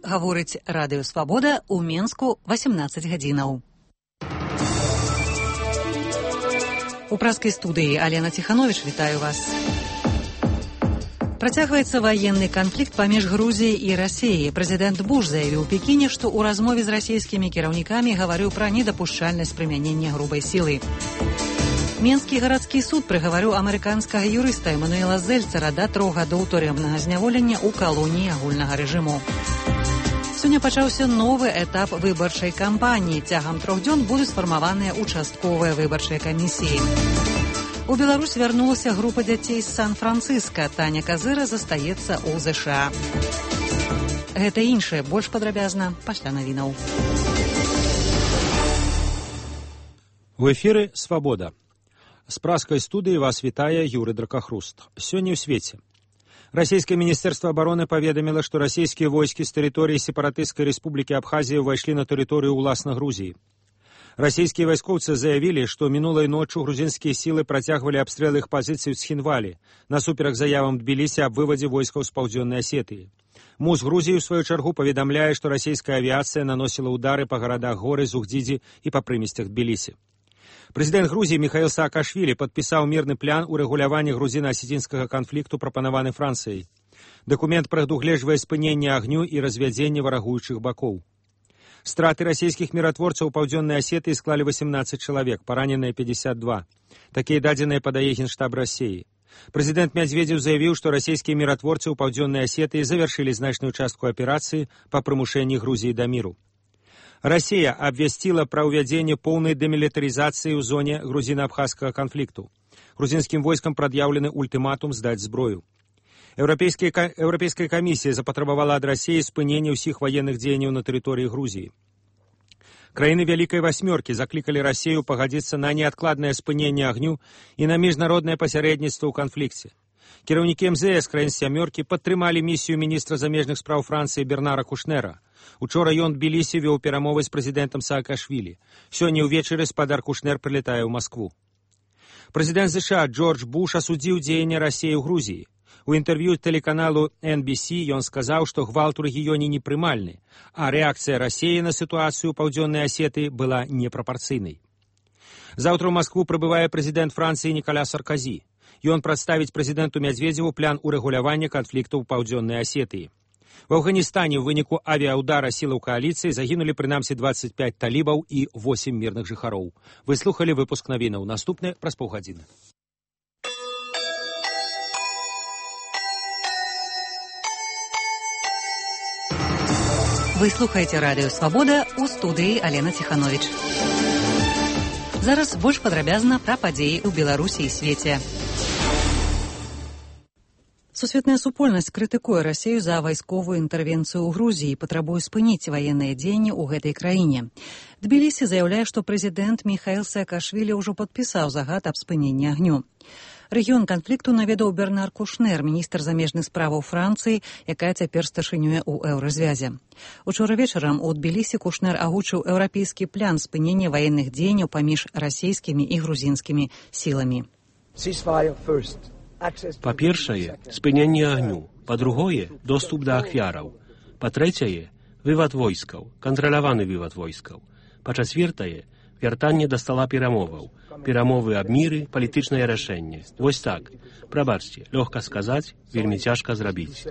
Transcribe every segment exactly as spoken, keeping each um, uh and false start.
гаворыць Радыё Свабода ў Менску васемнаццаць гадзінаў. У праскай студыі Алена Ціхановіч, вітаю вас. Працягваецца ваенны канфлікт паміж Грузіяй і Расіяй. Прэзідэнт Буш заявіў у Пекіне, што ў размове з расійскімі кіраўнікамі гаварыў пра недапушчальнасць прымянення грубай сілы. Менскі гарадскі суд прыгаварыў амерыканскага юрыста Эмануэла Зельцера да трох гадоў турэмнага зняволення ў калоніі агульнага рэжыму. Сёння пачаўся новы этап выбарчай кампаніі. Цягам трох дзён будуць сфармаваныя участковыя выбарчыя камісіі. У Беларусь вярнулася група дзяцей з Сан-Францыска. Таня Казыра застаецца ў ЗША. Гэта іншае, больш падрабязна пасля навінаў. У эфіры «Свабода». З праскай студыі вас вітае Юры Дракахруст. Сёння ў свеце. Расійскае міністэрства абароны паведаміла, што расійскія войскі з тэрыторыі сепаратысцкай рэспублікі Абхазія ўвайшлі на тэрыторыю ўласна Грузіі. Расійскія вайскоўцы заявілі, што мінулай ноччу грузінскія сілы працягвалі абстрэл іх пазіцый у Цхінвалі, насуперак заявам Тбілісі аб вывадзе войскаў з паўдзённай Асетыі. МУЗ Грузіі, у сваю чаргу, паведамляе, што расійская авіяцыя наносіла ўдары па гарадах Горы, Зугдзідзі і па прымесцях Тбілісі. Прэзідэнт Грузіі Міхаіл Саакашвілі падпісаў мірны план урэгулявання грузіна-асецінскага канфлікту, прапанаваны Францыяй. Дакумент прадугледжвае спыненне агню і развядзенне варагуючых бакоў. Страты расійскіх міратворцаў у паўдзённай Асетыі склалі васемнаццаць чалавек, параненыя пятьдесят два. Такія дадзеныя падае Генштаб Расіі. Прэзідэнт Мядзведзеў заявіў, што расійскія міратворцы ў паўдзённай Асетыі завяршылі значную частку аперацыі па прымушэнні Грузіі да міру. Расія абвясціла пра ўвядзенне поўнай дэмілітарызацыі ў зоне грузіна-абхазскага канфлікту. Грузінскім войскам прад'яўлены ультыматум здаць зброю. Еўрапейская камісія запатрабавала ад Расіі спынення ўсіх ваенных дзеянняў на тэрыторыі Грузіі. Краіны Вялікай Васьмёркі заклікалі Расію пагадзіцца на неадкладнае спыненне агню і на міжнароднае пасярэдніцтва ў канфлікце. Кіраўнікі эм зэ эс краін сямёркі падтрымалі місію міністра замежных спраў Францыі Бернара Кушнера. Учора ён Тбілісі вёў перамовы з прэзідэнтам Саакашвілі. Сёння ўвечары спадар Кушнер прылетае ў Маскву. Прэзідэнт ЗША Джордж Буш асудзіў дзеянне Расіі ў Грузіі. У інтэрв'ю тэлеканалу эн би си ён сказаў, што гвалт у рэгіёне непрымальны, а рэакцыя Расіі на сітуацыю ў паўдзённай Асетыі была непрапарцыйнай. Заўтра ў Маскву прыбывае прэзідэнт Францыі Нікаля Сарказі. Ён прадставіць прэзідэнту Мядзведзеву план урэгулявання канфлікту ў паўдзённай Асетыі. В Афганістане ў выніку авіаўдара сілаў кааліцыі загінулі прынамсі двадцать пять талібаў і восемь мірных жыхароў. Вы слухалі выпуск навінаў. Наступны праз паўгадзіны. Вы слухаеце Радыё Свабода, у студыі Алена Ціхановіч. Зараз больш падрабязна пра падзеі ў Беларусі і свеце. Сусветная супольнасць крытыкуе Расію за вайсковую інтэрвенцыю ў Грузіі і патрабуе спыніць ваенныя дзеянні ў гэтай краіне. Тбілісі заяўляе, што прэзідэнт Міхаіл Саакашвілі ўжо падпісаў загад аб спыненні агню. Рэгіён канфлікту наведаў Бернар Кушнер, міністр замежных справаў Францыі, якая цяпер старшынюе ў еўразвязе. Учора вечарам у Тбілісі Кушнер агучыў еўрапейскі план спынення ваенных дзеянняў паміж расійскімі і грузінскімі сіламі. Па-першае, спыненне агню. Па-другое, доступ да ахвяраў. Па-трэцяе, вывад войскаў, кантраляваны вывад войскаў. Па-чацвертае, вяртанне да стала перамоваў. Перамовы аб міры, палітычнае рашэнне. Вось так. Прабачце, лёгка сказаць, вельмі цяжка зрабіць.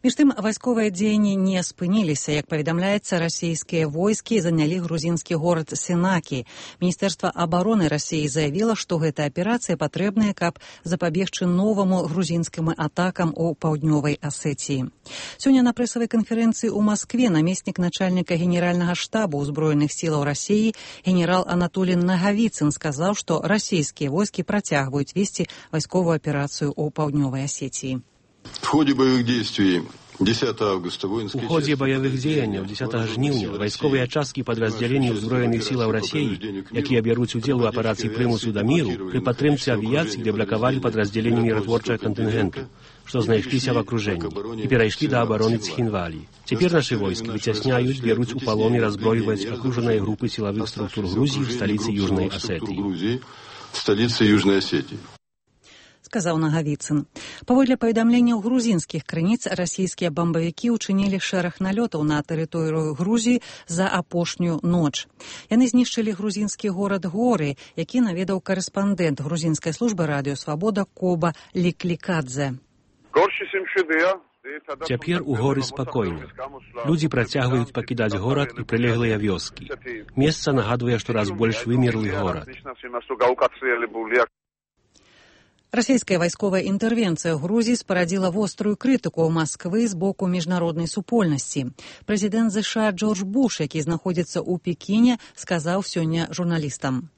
Між тым, вайсковыя дзеянні не спыніліся. Як паведамляецца, расійскія войскі занялі грузінскі горад Сенакі. Міністэрства абароны Расіі заявіла, што гэта аперацыя патрэбная, каб запабегчы новаму грузінскім атакам у паўднёвай Асетіі. Сёння на прэсавай канферэнцыі ў Маскве намеснік начальніка генеральнага штабу ўзброеных сілаў Расіі генерал Анатолій Нагавіцын сказаў, што расійскія войскі працягваюць весці вайсковую аперацыю ў паўднёвай Асетіі. В ходе боевых действий десятого августа воинские... У ходе боевых дзеянняў дзесятага жніўня вайсковыя часткі падраздзяленняў узброеных сілаў Расіі, якія бяруць удзел у аперацыі прымусу да міру, пры падтрымцы авіяцыі дэблакавалі падраздзяленні міратворчага кантынгенту, што знайшліся в акружэнні, і перайшлі да абароны Цхінвалі. Цяпер нашы войскі выцясняюць, бяруць у палон і разброіваюць акружаныя групы сілавых структур Грузіі в сталіцы Южнай Асетыі. В сталіцы Южнай Асетіі. сказаў Нагавіцын. Паводле паведамленняў грузінскіх крыніц, расійскія бамбавікі ўчынілі шэраг налётаў на тэрыторыю Грузіі за апошнюю ноч. Яны знішчылі грузінскі горад Горы, які наведаў корэспандэнт грузінскай службы радыё Свабода Коба Ліклікадзе. Цяпер у горы спакойна. Людзі працягваюць пакідаць горад і прылеглыя вёскі. Месца нагадвае, што раз больш вымерлы горад. Расійская вайсковая інтэрвенцыя ў Грузіі спарадзіла вострую крытыку Масквы з боку міжнароднай супольнасці. Прэзідэнт ЗША Джордж Буш, які знаходзіцца ў Пекіне, сказаў сёння журналістам.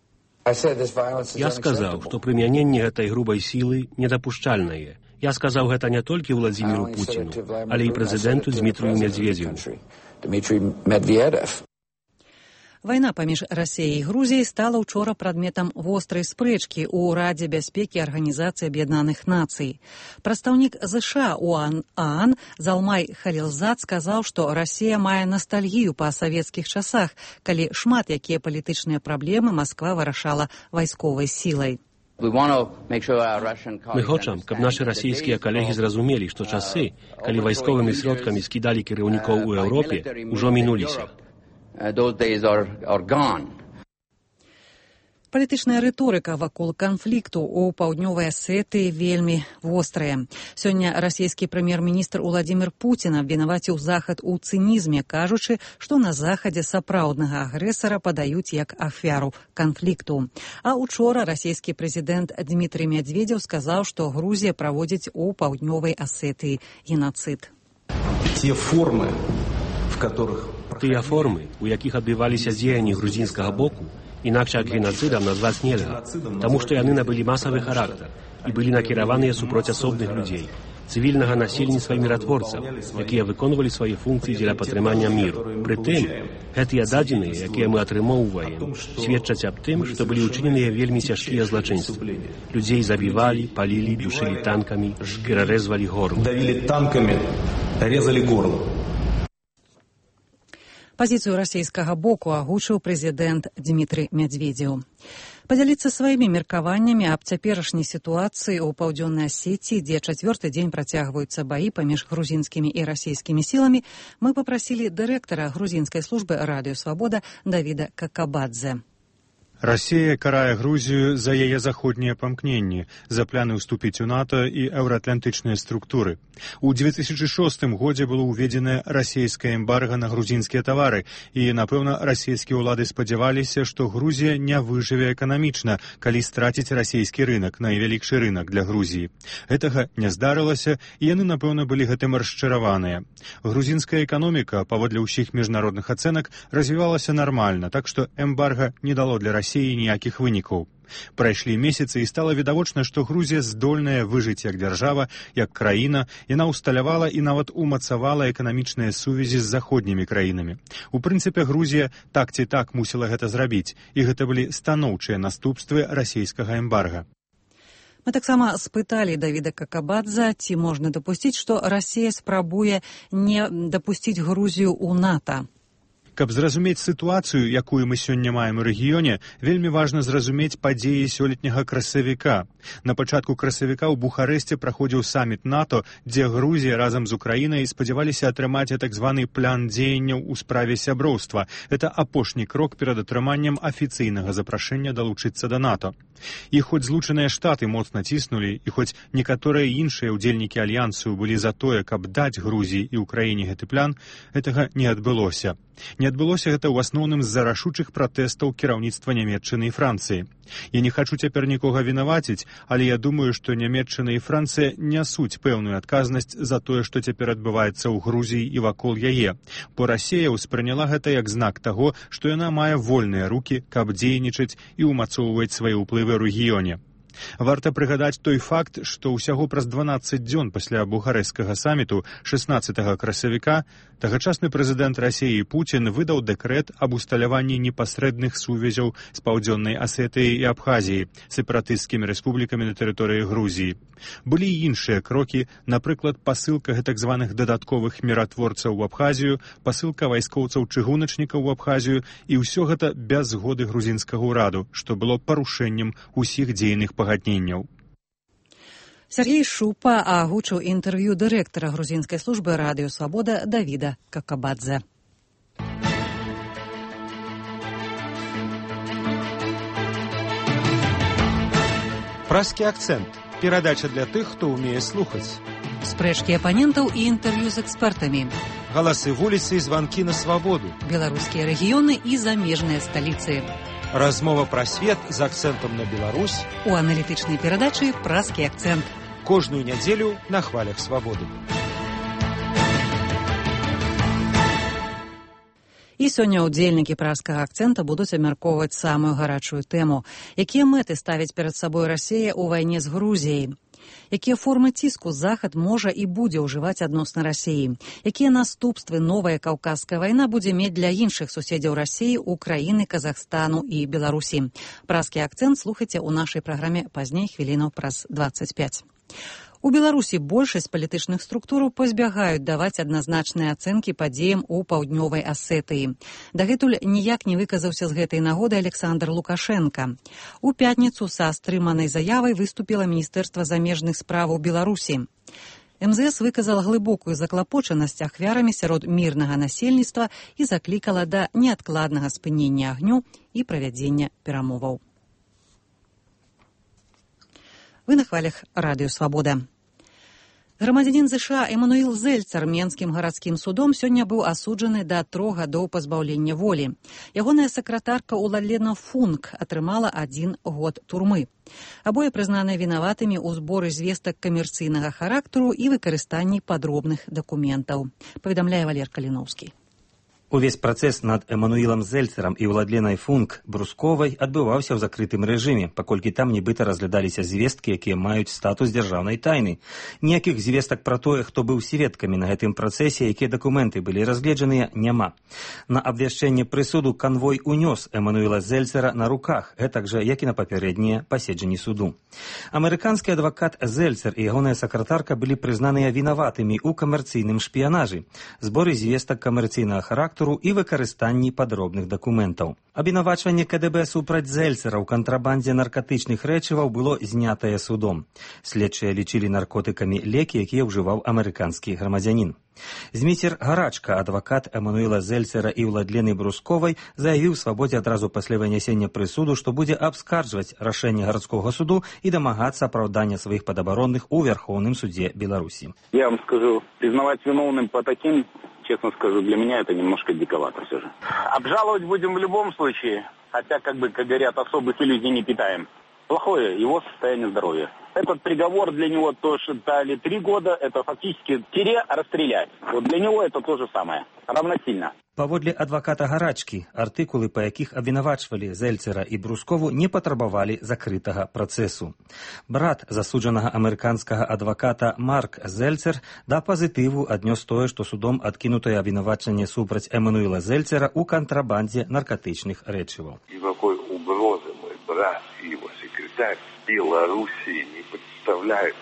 Я сказаў, што прымяненне гэтай грубай сілы недапушчальнае. Я сказаў гэта не толькі Владзіміру Пуціну, але і прэзідэнту Дзмітрыю Медведзеву. Вайна паміж Расіяй і Грузіяй стала ўчора прадметам вострай спрэчкі ў Радзе бяспекі Арганізацыі Аб'яднаных Нацый. Прадстаўнік ЗША ў ААН Залмай Халілзад сказаў, што Расія мае настальгію па савецкіх часах, калі шмат якія палітычныя праблемы Масква вырашала вайсковай сілай. Мы хочам, каб нашы расійскія калегі зразумелі, што часы, калі вайсковымі сродкамі скідалі кіраўнікоў у Еўропе, ужо мінуліся. Палітычная рыторыка вакол канфлікту ў паўднёвай Асетыі вельмі вострая. Сёння расійскі прэм'ер-міністр Уладзімір Пуцін абвінаваціў Захад у цынізме, кажучы, што на Захадзе сапраўднага агрэсара падаюць як ахвяру канфлікту. А учора расійскі прэзідэнт Дзмітрый Медведзеў сказаў, што Грузія праводзіць у паўднёвай Асетыі генацыд. Тыя формы, у якіх адбываліся дзеянні грузінскага боку, інакш як генацыдам назваць нельга, таму што яны набылі масавы характар і былі накіраваныя супроць асобных людзей, цывільнага насельніцтва і міратворцаў, якія выконвалі свае функцыі дзеля падтрымання міру. Прытым, гэтыя дадзеныя, якія мы атрымоўваем, сведчаць аб тым, што былі ўчыненыя вельмі цяжкія злачынствы. Людзей забівалі, палілі, душылі танкамі, перарэзвалі горло. Давілі танкамі, рэзалі горло. Пазіцыю расійскага боку агучыў прэзідэнт Дзмітрый Медведзеў. Падзяліцца сваімі меркаваннямі аб цяперашняй сітуацыі ў паўдзённай Асетіі, дзе чацвёрты дзень працягваюцца баі паміж грузінскімі і расійскімі сіламі, мы папрасілі дырэктара грузінскай службы радыё Свабода Давіда Какабадзе. Расія карае Грузію за яе заходнія памкненні, за пляны ўступіць у НАТО і еўраатлантычныя структуры. У две тысячи шостым годзе было ўведзенае расійскае эмбарга на грузінскія тавары, і, напэўна, расійскія ўлады спадзяваліся, што Грузія не выжыве эканамічна, калі страціць расійскі рынак, найвялікшы рынак для Грузіі. Гэтага не здарылася, і яны, напэўна, былі гэтым расчараваныя. Грузінская эканоміка, паводле ўсіх міжнародных ацэнак, развівалася нармальна, так што эмбарга не дало для Расіі ніякіх вынікаў. Прайшлі месяцы і стала відавочна, што Грузія здольная выжыць як дзяржава, як краіна, яна ўсталявала і нават умацавала эканамічныя сувязі з заходнімі краінамі. У прынцыпе, Грузія так ці так мусіла гэта зрабіць, і гэта былі станоўчыя наступствы расійскага эмбарга. Мы таксама спыталі Давіда Какабадзе, ці можна дапусціць, што Расія спрабуе не дапусціць Грузію ў НАТО. Каб зразумець сітуацыю, якую мы сёння маем у рэгіёне, вельмі важна зразумець падзеі сёлетняга красавіка. На пачатку красавіка ў Бухарэсце праходзіў саміт НАТО, дзе Грузія разам з Украінай спадзяваліся атрымаць так званы план дзеянняў у справе сяброўства. Гэта апошні крок перад атрыманнем афіцыйнага запрашэння далучыцца да НАТО. І хоць злучаныя штаты моцна ціснулі, і хоць некаторыя іншыя ўдзельнікі альянсу былі за тое, каб даць Грузіі і Украіне гэты план, гэтага не адбылося. Не адбылося гэта ў асноўным з-за рашучых пратэстаў кіраўніцтва Нямецчыны і Францыі. Я не хачу цяпер нікога вінаваціць, але я думаю, што Нямецчына і Францыя нясуць пэўную адказнасць за тое, што цяпер адбываецца ў Грузіі і вакол яе. Бо Расія ўспрыняла гэта як знак таго, што яна мае вольныя рукі, каб дзейнічаць і ўмацоўваць свае ўплывы ў рэгіёне. Варта прыгадаць той факт, што ўсяго праз дванаццаць дзён пасля бухарэсцкага саміту шэснаццатага красавіка тагачасны прэзідэнт Расіі Пуцін выдаў дэкрэт аб усталяванні непасрэдных сувязяў з паўдзённай Асетыяй і Абхазіяй, сепаратысцкімі рэспублікамі на тэрыторыі Грузіі. Былі і іншыя крокі, напрыклад, пасылка гэтак званых дадатковых міратворцаў у Абхазію, пасылка вайскоўцаў-чыгуначнікаў у Абхазію, і ўсё гэта без згоды грузінскага ўраду, што было парушэннем усіх дзейных пагадненняў. Сергей Шупа агучыў інтэрв'ю дырэктара грузінскай службы радыё «Свабода» Давіда Какабадзе. Праский акцент. Перадача для тых, хто ўмее слухаць. Спрэчкі апанентаў і інтэрв'ю з экспертамі. Галасы вуліцы і званкі на свабоду. Беларускія рэгіёны і замежныя сталіцы. Размова пра свет з акцэнтам на Беларусь. У аналітычнай перадачы «Праскі акцент». Кожную нядзелю на хвалях свабоды. І сёння ўдзельнікі праскага акцэнта будуць абмяркоўваць самую гарачую тэму. Якія мэты ставіць перад сабой Расія ў вайне з Грузіяй? Якія формы ціску Захад можа і будзе ўжываць адносна Расіі? Якія наступствы новая каўказская вайна будзе мець для іншых суседзяў Расіі, Украіны, Казахстану і Беларусі? Праскі акцэнт слухайце ў нашай праграме пазней хвілінаў праз дваццаць пяць. У Беларусі большасць палітычных структураў пазбягаюць даваць адназначныя ацэнкі падзеям у паўднёвай Асетыі. Дагэтуль ніяк не выказаўся з гэтай нагоды Александр Лукашенко. У пятніцу са стрыманай заявай выступіла Міністэрства замежных справаў Беларусі. эм зэ эс выказала глыбокую заклапочанасць ахвярамі сярод мірнага насельніцтва і заклікала да неадкладнага спынення агню і правядзення перамоваў. Вы на хвалях радыё «Свабода». Грамадзянін ЗША Эмануил Зельцер Менскім гарадскім судом сёння быў асуджаны да трох гадоў пазбаўлення волі. Ягоная сакратарка Уладлена Функ атрымала адзін год турмы. Абое прызнаныя вінаватымі ў зборы звестак камерцыйнага характару і выкарыстанні падробных дакументаў. Паведамляе Валер Каліноўскі. Увесь працэс над Эмануілам Зельцерам і Уладленай Функ Брусковай адбываўся ў закрытым рэжыме, паколькі там нібыта разглядаліся звесткі, якія маюць статус дзяржаўнай тайны. Ніякіх звестак пра тое, хто быў сведкамі на гэтым працэсе, якія дакументы былі разгледжаныя, няма. На абвяшчэнне прысуду канвой унёс Эмануіла Зельцера на руках, гэтак жа, як і на папярэднія паседжанні суду. Амерыканскі адвакат Зельцер і ягоная сакратарка былі прызнаныя вінаватымі ў камерцыйным шпіянажы, зборы звестак камерцыйнага характару і выкарыстанні падробных дакументаў. Абвінавачванне ка дэ бэ супраць Зельцера ў кантрабандзе наркатычных рэчываў было знятае судом. Следчыя лічылі наркотыкамі лекі, якія ўжываў амерыканскі грамадзянін. Зміцер Гарачка, адвакат Эмануіла Зельцера і Уладлены Брусковай, заявіў Свабодзе адразу пасля вынясення прысуду, што будзе абскарджваць рашэнне гарадскога суду і дамагацца апраўдання сваіх падабаронных у Вярхоўным судзе Беларусі. Я вам скажу, признавать виновным по таким, честно скажу, для меня это немножко диковато все же. Обжаловать будем в любом случае, хотя, как бы, как говорят, особых иллюзий не питаем. Плохое его состояние здоровья. Этот приговор для него то, что дали три года, это фактически тире расстрелять. Вот для него это то же самое, равносильно. Паводле адваката Гарачкі, артыкулы, па якіх абвінавачвалі Зельцера і Брускову, не патрабавалі закрытага працэсу. Брат засуджанага амерыканскага адваката Марк Зельцер да пазітыву аднёс тое, што судом адкінутае абвінавачанне супраць Эмануіла Зельцера ў кантрабандзе наркатычных рэчываў. Никакой угрозы мой брат и его секретарь Беларуси не представляют.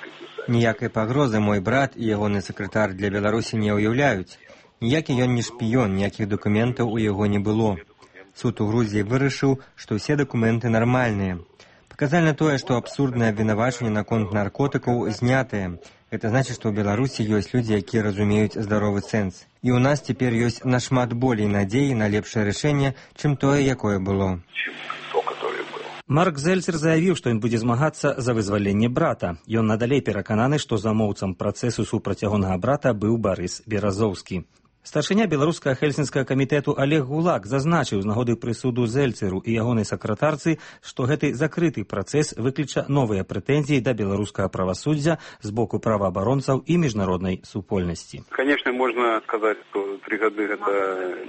Ніякай пагрозы мой брат і ягоны сакратар для Беларусі не ўяўляюць. Ніякі ён не шпіён, ніякіх дакументаў у яго не было. Суд у Грузіі вырашыў, што ўсе дакументы нармальныя. Паказальна тое, што абсурднае абвінавачанне наконт наркотыкаў знятае. Гэта значыць, што ў Беларусі ёсць людзі, якія разумеюць здаровы сэнс. І ў нас цяпер ёсць нашмат болей надзеі на лепшае рашэнне, чым тое, якое было. Марк Зельцер заявіў, што ён будзе змагацца за вызваленне брата. Ён надалей перакананы, што замоўцам працэсу супраць ягонага брата быў Барыс Беразоўскі. Старшыня беларускага хельсінскага камітэту Олег Гулак зазначыў з нагоды прысуду Зельцеру і ягонай сакратарцы, што гэты закрыты працэс выкліча новыя прэтэнзіі да беларускага правасуддзя з боку праваабаронцаў і міжнароднай супольнасці. Конечно, можно сказать, что три гады это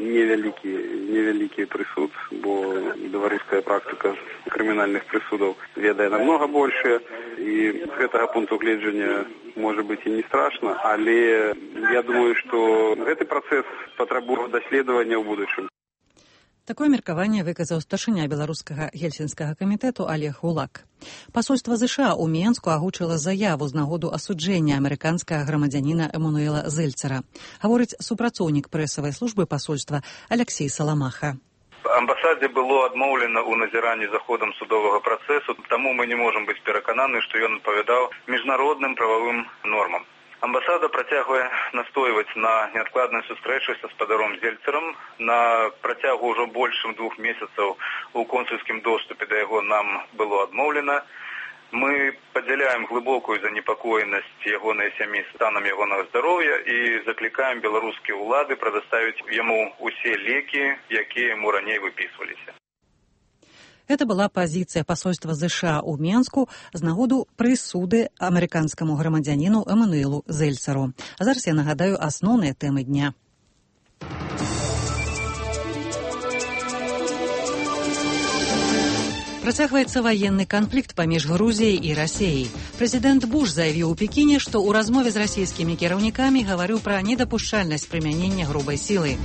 невялікі, невялікі прысуд, бо беларуская практыка крымінальных прысудаў ведае намного больше, і з гэтага пункту гледжання может быть и не страшно, але я думаю, что гэты працэс патрабуе даследавання ў будучым. Такое меркаванне выказаў старшыня беларускага гельсінскага камітэту Олег Гулак. Пасольства ЗША ў Менску агучыла заяву з нагоду асуджэння амерыканскага грамадзяніна Эмануіла Зельцера. Гаворыць супрацоўнік прэсавай службы пасольства Алексей Саламаха. Амбасадзе было адмоўлена ў назіранні за ходам судовага працэсу, таму мы не можам быць перакананы, што ён адпавядаў міжнародным прававым нормам. Амбасада працягвае настойваць на неадкладнай сустрэчы са спадаром Зельцерам. На працягу ўжо больш чым двух месяцаў у консульскім доступе да яго нам было адмоўлена. Мы падзяляем глыбокую занепакоенасць ягонай сям'і станам ягонага здароўя і заклікаем беларускія ўлады прадаставіць яму усе лекі, якія яму раней выпісваліся. Это была позиция посольства США у Менску з нагоду прысуды амерыканскаму грамадзяніну Эмануэлу Зельцеру. А зараз я нагадаю асноўныя тэмы дня. Працягваецца ваенны канфлікт паміж Грузіяй і Расіяй. Прэзідэнт Буш заявіў у Пекіне, што ў размове з расійскімі кіраўнікамі гаварыў пра недапушчальнасць прымянення грубай сілы.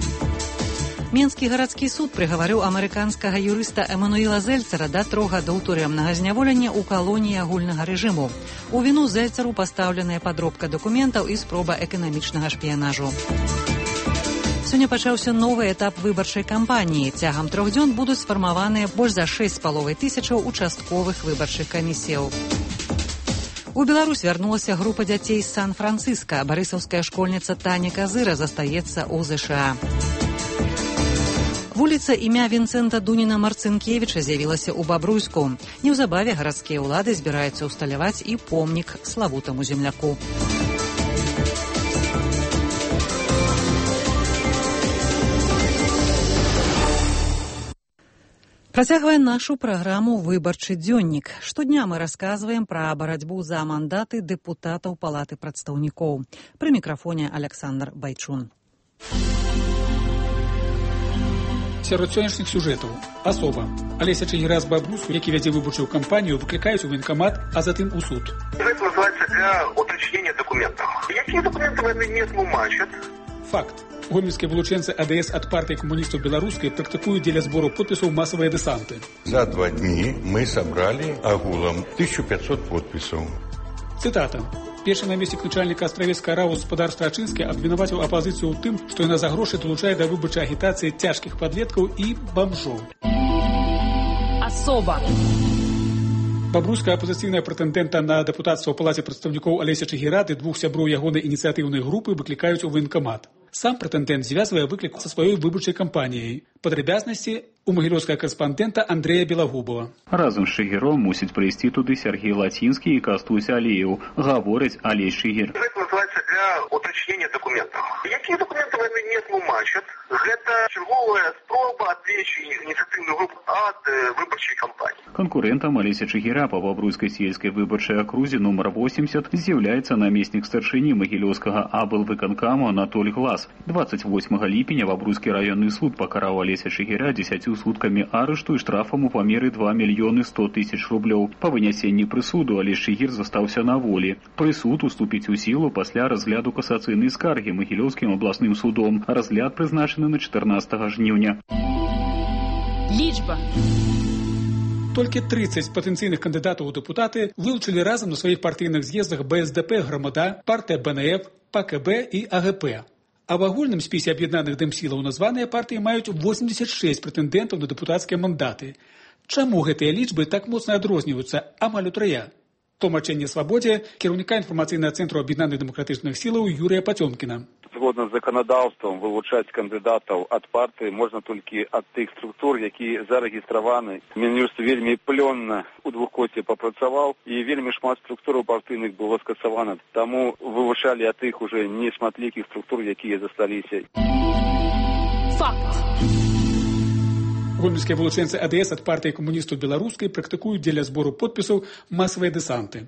Менскі гарадскі суд прыгаварыў амерыканскага юрыста Эмануэла Зельцера да трох гадоў турэмнага зняволення ў калоніі агульнага рэжыму. У віну Зельцеру пастаўленая падробка дакументаў і спроба эканамічнага шпіянажу. Сёння пачаўся новы этап выбарчай кампаніі. Цягам трох дзён будуць сфармаваныя больш за шэсць з паловай тысячаў участковых выбарчых камісіяў. У Беларусь вярнулася група дзяцей з Сан-Францыска. Барысаўская школьніца Таня Казыра застаецца ў ЗША. Вуліца імя Вінцэнта Дуніна-Марцынкевіча з'явілася ў Бабруйску. Неўзабаве гарадскія ўлады збіраюцца ўсталяваць і помнік славутаму земляку. Працягвае нашу праграму «Выбарчы дзённік». Штодня мы расказваем пра барацьбу за мандаты дэпутатаў Палаты прадстаўнікоў. Пры мікрафоне Александр Байчун. Сярод сённяшніх сюжэтаў асоба Алеся Чигира з Бабрусу, які вядзе выбарчую кампанію, выклікаюць у военкомат, а затым у суд. Гэта называецца для уточнення документаў. Якія документы яны не тлумачаць? Факт. Гомельскія вылучэнцы АДС ад партыі камуністаў беларускай практыкуюць дзеля збору подпісаў масавыя дэсанты. За два дні мы сабралі агулам тысячу пятьсот подпісаў. Цытата. Першы намеснік начальніка астравецкага РАУ Спадар Страчынскі абвінаваціў апазіцыю ў тым, што яна за грошы далучае да выбарчай агітацыі цяжкіх падлеткаў і бамжоў. Асоба. Бабруйская апазіцыйная прэтэндэнта на дэпутацтва ў Палаце прадстаўнікоў Алеся Чигира ды двух сяброў ягонай ініцыятыўнай групы выклікаюць у военкомат. Сам прэтэндэнт звязвае выклік са сваёй выбарчай кампаніяй. Падрабязнасці у магілёўскага карэспандэнта Андрэя Белагубова. Разам з Чигиром мусіць прыйсці туды Сергей Лацінскі і Кастусь Алеев, гаворыць Алесь Чигир. Гэта называецца для уточнення документаў. Якія документы яны не тлумачаць? Гэта чарговая спроба адвлечь ініцыятыўную групу ад выбарчай кампаніі. Конкурентам Алеся Чигира па Бабруйскай сельскай выбарчай акрузе нумар восемьдесят з'яўляецца намеснік старшыні магілёўскага аблвыканкаму Анатоль Глас. двадцать восьмага ліпеня Бабруйскі раённы суд пакараў Алеся Чигира дзесяццю суткамі арышту і штрафам у памеры два мільёны сто тысяч рублёў. Па вынясенні прысуду Алесь Чигир застаўся на волі. Прысуд уступіць у сілу пасля разгляду касацыйнай скаргі Магілёўскім абласным судом. Разгляд прызначаны на чатырнаццатага жніўня. Лічба. Толькі трыццаць патэнцыйных кандыдатаў у дэпутаты вылучылі разам на сваіх партыйных з'ездах БСДП, Грамада, партыя БНФ, ПКБ і АГП. А в агульным спісе аб'яднаных дэмсілаў названыя партыі маюць восемьдесят шесть прэтэндэнтаў на дэпутацкія мандаты. Чаму гэтыя лічбы так моцна адрозніваюцца амаль утрая? Тлумачэнне Свабодзе кіраўніка інфармацыйнага цэнтру аб'яднаных дэмакратычных сілаў Юрія Пацёмкіна. Згодна з заканадаўствам вылучаць кандыдатаў ад партыі можна толькі ад тых структур, якія зарэгістраваны. Мін'юст вельмі плённа у двухкоце папрацаваў і вельмі шмат структураў партыйных было скасавана. Таму вывучалі ад тых уже нешматлікіх структур, якія засталіся. Факт. Гомельскія вылучэнцы АДС ад партыі камуністаў беларускай практыкуюць дзеля збору подпісаў масавыя дэсанты.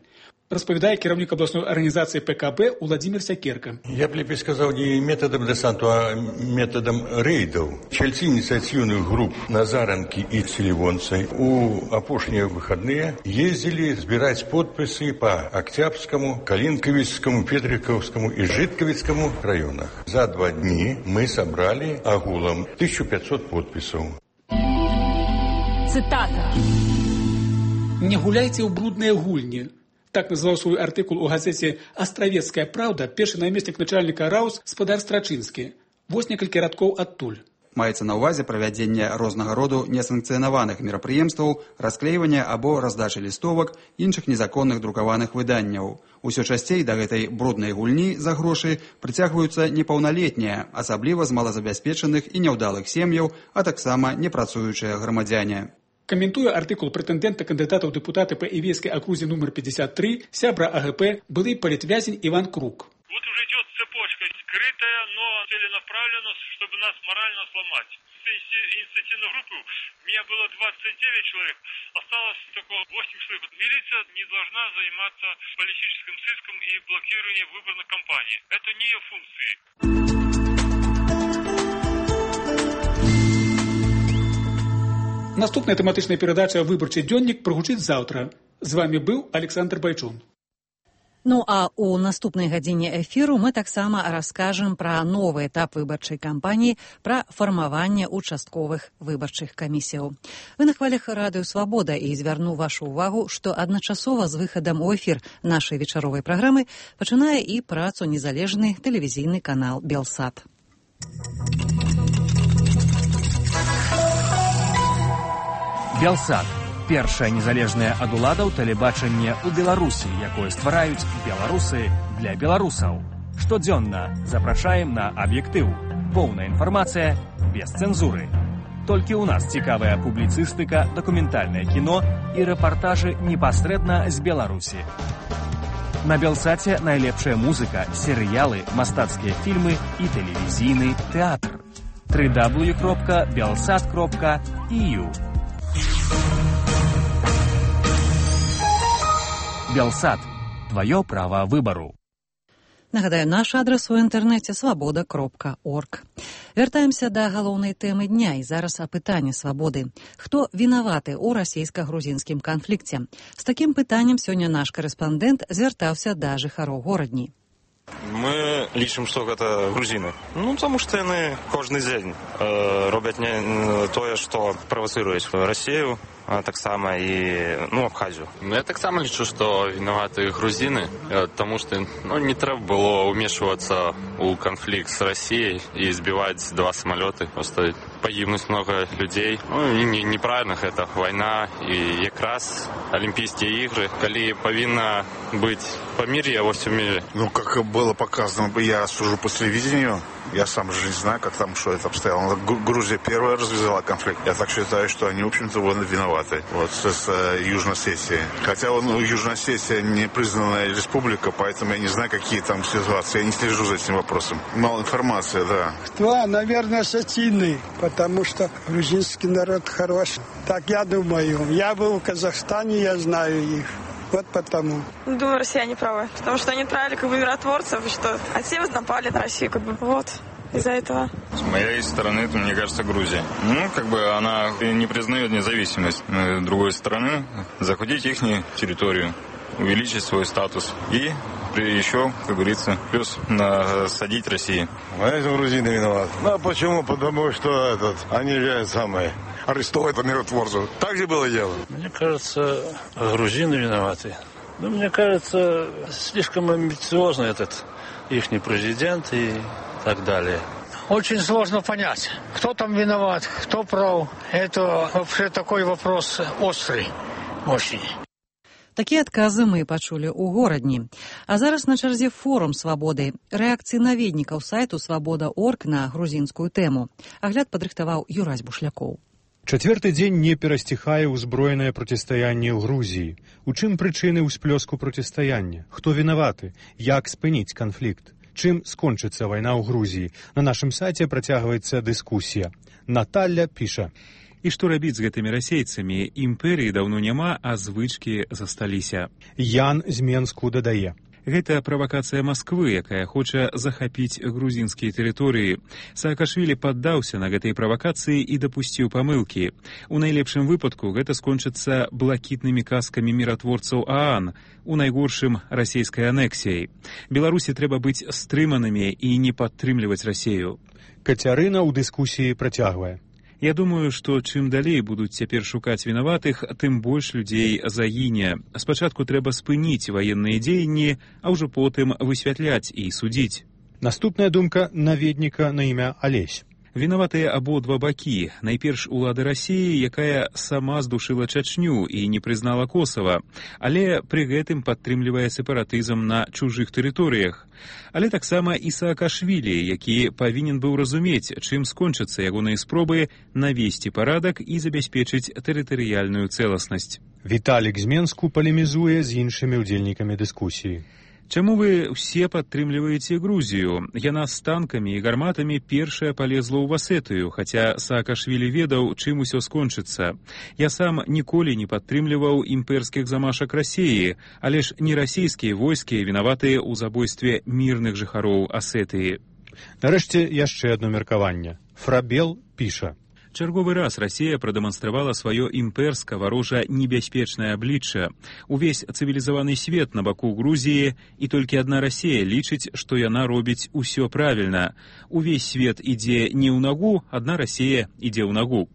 Распавядае кіраўнік абласной арганізацыі ПКБ Уладзімір Сякерка. Я б лепей сказаў не метадам дэсанту, а метадам рэйдаў. Чальцы ініцыятыўных груп Назаранкі і Селівонцы у апошнія выхадныя ездзілі збіраць подпісы па Акцябрскаму, Калінкавіцкаму, Петрыкаўскаму і Жыткавіцкаму раёнах. За два дні мы сабралі агулам тысячу пятьсот подпісаў. Цытата. Не гуляйце ў брудныя гульні. Так назваў свой артыкул у газеце «Астравецкая праўда» першы намеснік начальніка РАУС Спадар Страчынскі. Вось некалькі радкоў адтуль. Маецца на ўвазе правядзенне рознага роду несанкцыянаваных мерапрыемстваў, расклейвання або раздачы лістовак, іншых незаконных друкаваных выданняў. Усё часцей да гэтай бруднай гульні за грошы прыцягваюцца непаўналетнія, асабліва з малазабяспечаных і няўдалых сем'яў, а таксама непрацуючыя грамадзяне. Комментуя артикул претендента кандидата в депутаты по Ивейской округе номер пятьдесят три, сябра АГП, былый политвязень Иван Круг. Вот уже идет цепочка, скрытая, но целенаправленно, чтобы нас морально сломать. С инициативной группы у меня было двадцать девять человек, осталось только восемь человек. Милиция не должна заниматься политическим сыском и блокированием выборной кампании. Это не ее функции. Наступная тематичная передача «Выборчий дзённік» прагучыць заўтра. З вами быў Александр Байчун. Ну а у наступнай гадзіне эфіру мы таксама раскажам пра новы этап выбарчай кампаніі, пра фармаванне участковых выбарчых камісіяў. Вы на хвалях радыё «Свабода» і звярну вашу увагу, што адначасова з выхадам у эфір нашай вечаровай праграмы пачынае і працу незалежны тэлевізійны канал «Белсат». Белсат. Першае незалежнае ад уладаў тэлебачанне ў Беларусі, якое ствараюць беларусы для беларусаў. Штодзённа запрашаем на аб'ектыў. Поўная інфармацыя без цэнзуры. Толькі ў нас цікавая публіцыстыка, дакументальнае кіно і рэпартажы непасрэдна з Беларусі. На Белсаце найлепшая музыка, серыялы, мастацкія фільмы і тэлевізійны тэатр. дабл ю дабл ю дабл ю кропка белсат кропка і ю. Белсат. Твое право выбору. Нагадаю, наш адрес у інтэрнэце свабода кропка орг. Вяртаемся да галоўнай тэмы дня і зараз апытанне свабоды. Хто вінаваты ў расійска-грузінскім канфлікце? З такім пытаннем сёння наш корэспандэнт звяртаўся да жыхароў горадні. Мы лічым, што гэта грузіны. Ну, таму што яны кожны дзень э, робяць не тое, што правацыруюць Расію, а таксама і ну, Абхазію. Ну, я таксама лічу, што вінаваты грузіны, таму што ну, не трэба было ўмешвацца ў канфлікт з Расіяй і збіваць два самалёты. Просто пагібнуць многа людзей. Ну, не, неправільна гэта вайна і якраз Алімпійскія ігры, калі павінна быць памір'е во всем мире. Ну, как было показано, я сужу по телевидению, я сам же не знаю, как там, что это обстояло. Грузия первая развязала конфликт. Я так считаю, что они, в общем-то, виноваты. Вот с, с Южной Осетией. Хотя ну, Южная Осетия не признанная республика, поэтому я не знаю, какие там ситуации. Я не слежу за этим вопросом. Мало информации, да. Кто? Наверное, осетины, потому что грузинский народ хороший. Так я думаю. Я был в Казахстане, я знаю их. Вот потому. Думаю, россияне правы. Потому что они отправили как бы миротворцев, что а все напали на Россию, как бы вот. Из-за этого. С моей стороны, то, мне кажется, Грузия. Ну, как бы она не признает независимость. С другой стороны, захватить их территорию, увеличить свой статус и еще, как говорится, плюс насадить России. А это грузины виноваты. Ну, а почему? Потому что этот, они же самые арестовывают миротворцев. Так же было дело. Мне кажется, грузины виноваты. Но мне кажется, слишком амбициозно этот ихний президент и так далее. Очень сложно понять, кто там виноват, кто прав. Это вообще такой вопрос острый, очень. Такія адказы мы пачулі ў горадні. А зараз на чарзе форум «Свабоды». Рэакцыі наведнікаў сайту свабода кропка орг на грузінскую тэму. Агляд падрыхтаваў Юрась Бушлякоў. Чацвёрты дзень не перасціхае ўзброенае процістаянне ў Грузіі. У чым прычыны ўсплёску процістаяння? Хто вінаваты? Як спыніць канфлікт? Чым скончыцца вайна ў Грузіі? На нашым сайце працягваецца дыскусія. Наталля піша. І што рабіць з гэтымі расейцамі? Імперыі даўно няма, а звычкі засталіся. Ян з Менску дадае. Гэта правакацыя Масквы, якая хоча захапіць грузінскія тэрыторыі. Саакашвілі паддаўся на гэтай правакацыі і дапусціў памылкі. У найлепшым выпадку гэта скончыцца блакітнымі казкамі міратворцаў ААН, у найгоршым расійскай анексіяй. Беларусі трэба быць стрыманымі і не падтрымліваць Расею. Кацярына ў дыскусіі працягвае. Я думаю, што чым далей будуць цяпер шукаць вінаватых, тым больш людзей загіне. Спачатку трэба спыніць ваенныя дзеянні, а ўжо потым высвятляць і судзіць. Наступная думка наведніка на імя Алесь. Вінаватыя абодва бакі. Найперш улады Расіі, якая сама здушыла Чачню і не прызнала Косава, але пры гэтым падтрымлівае сепаратызм на чужых тэрыторыях. Але таксама і Саакашвілі, які павінен быў разумець, чым скончацца ягоныя спробы навесці парадак і забяспечыць тэрытарыяльную цэласнасць. Віталік з Менску палемізуе з іншымі ўдзельнікамі дыскусіі. Чаму вы ўсе падтрымліваеце Грузію? Яна з танкамі і гарматамі першая палезла ў Васетыю, хаця Саакашвілі ведаў, чым усё скончыцца. Я сам ніколі не падтрымліваў імперскіх замашак Расіі, але ж не расійскія войскі вінаватыя ў забойстве мірных жыхароў Асетыі. Нарэшце яшчэ адно меркаванне. Фрабел піша. Чарговы раз Расія прадэманстравала сваё імперска варожа небяспечнае аблічча. Увесь цывілізаваны свет на баку Грузіі, і толькі адна Расія лічыць, што яна робіць усё правільна. Увесь свет ідзе не ў нагу, адна Расія ідзе ў нагу.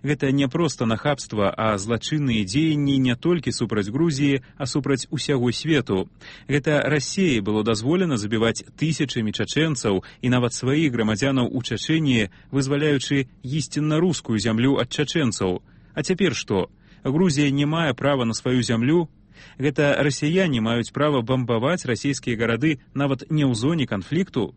Гэта не проста нахабства, а злачынныя дзеянні не толькі супраць Грузіі, а супраць усяго свету. Гэта Расіі было дазволена забіваць тысячамі чачэнцаў і нават сваіх грамадзянаў у Чачэніі, вызваляючы ісцінна рускую зямлю ад чачэнцаў. А цяпер што? Грузія не мае права на сваю зямлю? Гэта расіяне маюць права бамбаваць расійскія гарады нават не ў зоне канфлікту?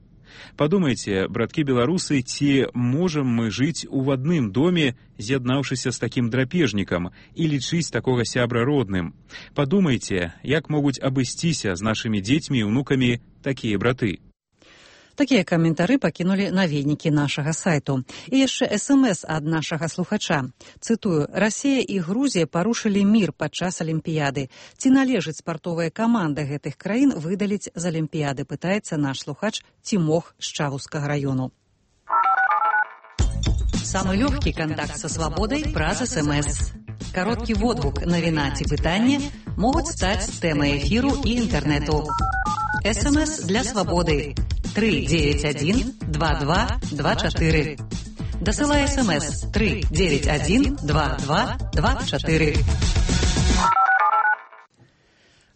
Падумайце, браткі беларусы, ці можам мы жыць у адным доме, з'яднаўшыся з такім драпежнікам, і лічыць такога сябра родным? Падумайце, як могуць абысціся з нашымі дзецьмі і ўнукамі такія браты? Такія каментары пакінулі наведнікі нашага сайту. І яшчэ эс эм эс ад нашага слухача. Цытую: «Расія і Грузія парушылі мір падчас Алімпіяды. Ці належыць спартовая каманда гэтых краін выдаліць з Алімпіяды?» Пытаецца наш слухач Тимох з Чавускага раёну. Самы лёгкі кантакт са свабодай праз эс эм эс. Кароткі водгук, навіна ці пытанне могуць стаць тэмай эфіру і інтэрнэту. эс эм эс для свабоды. три девять один два два два четыре. Дасылай эс эм эс три девять один два два два четыре.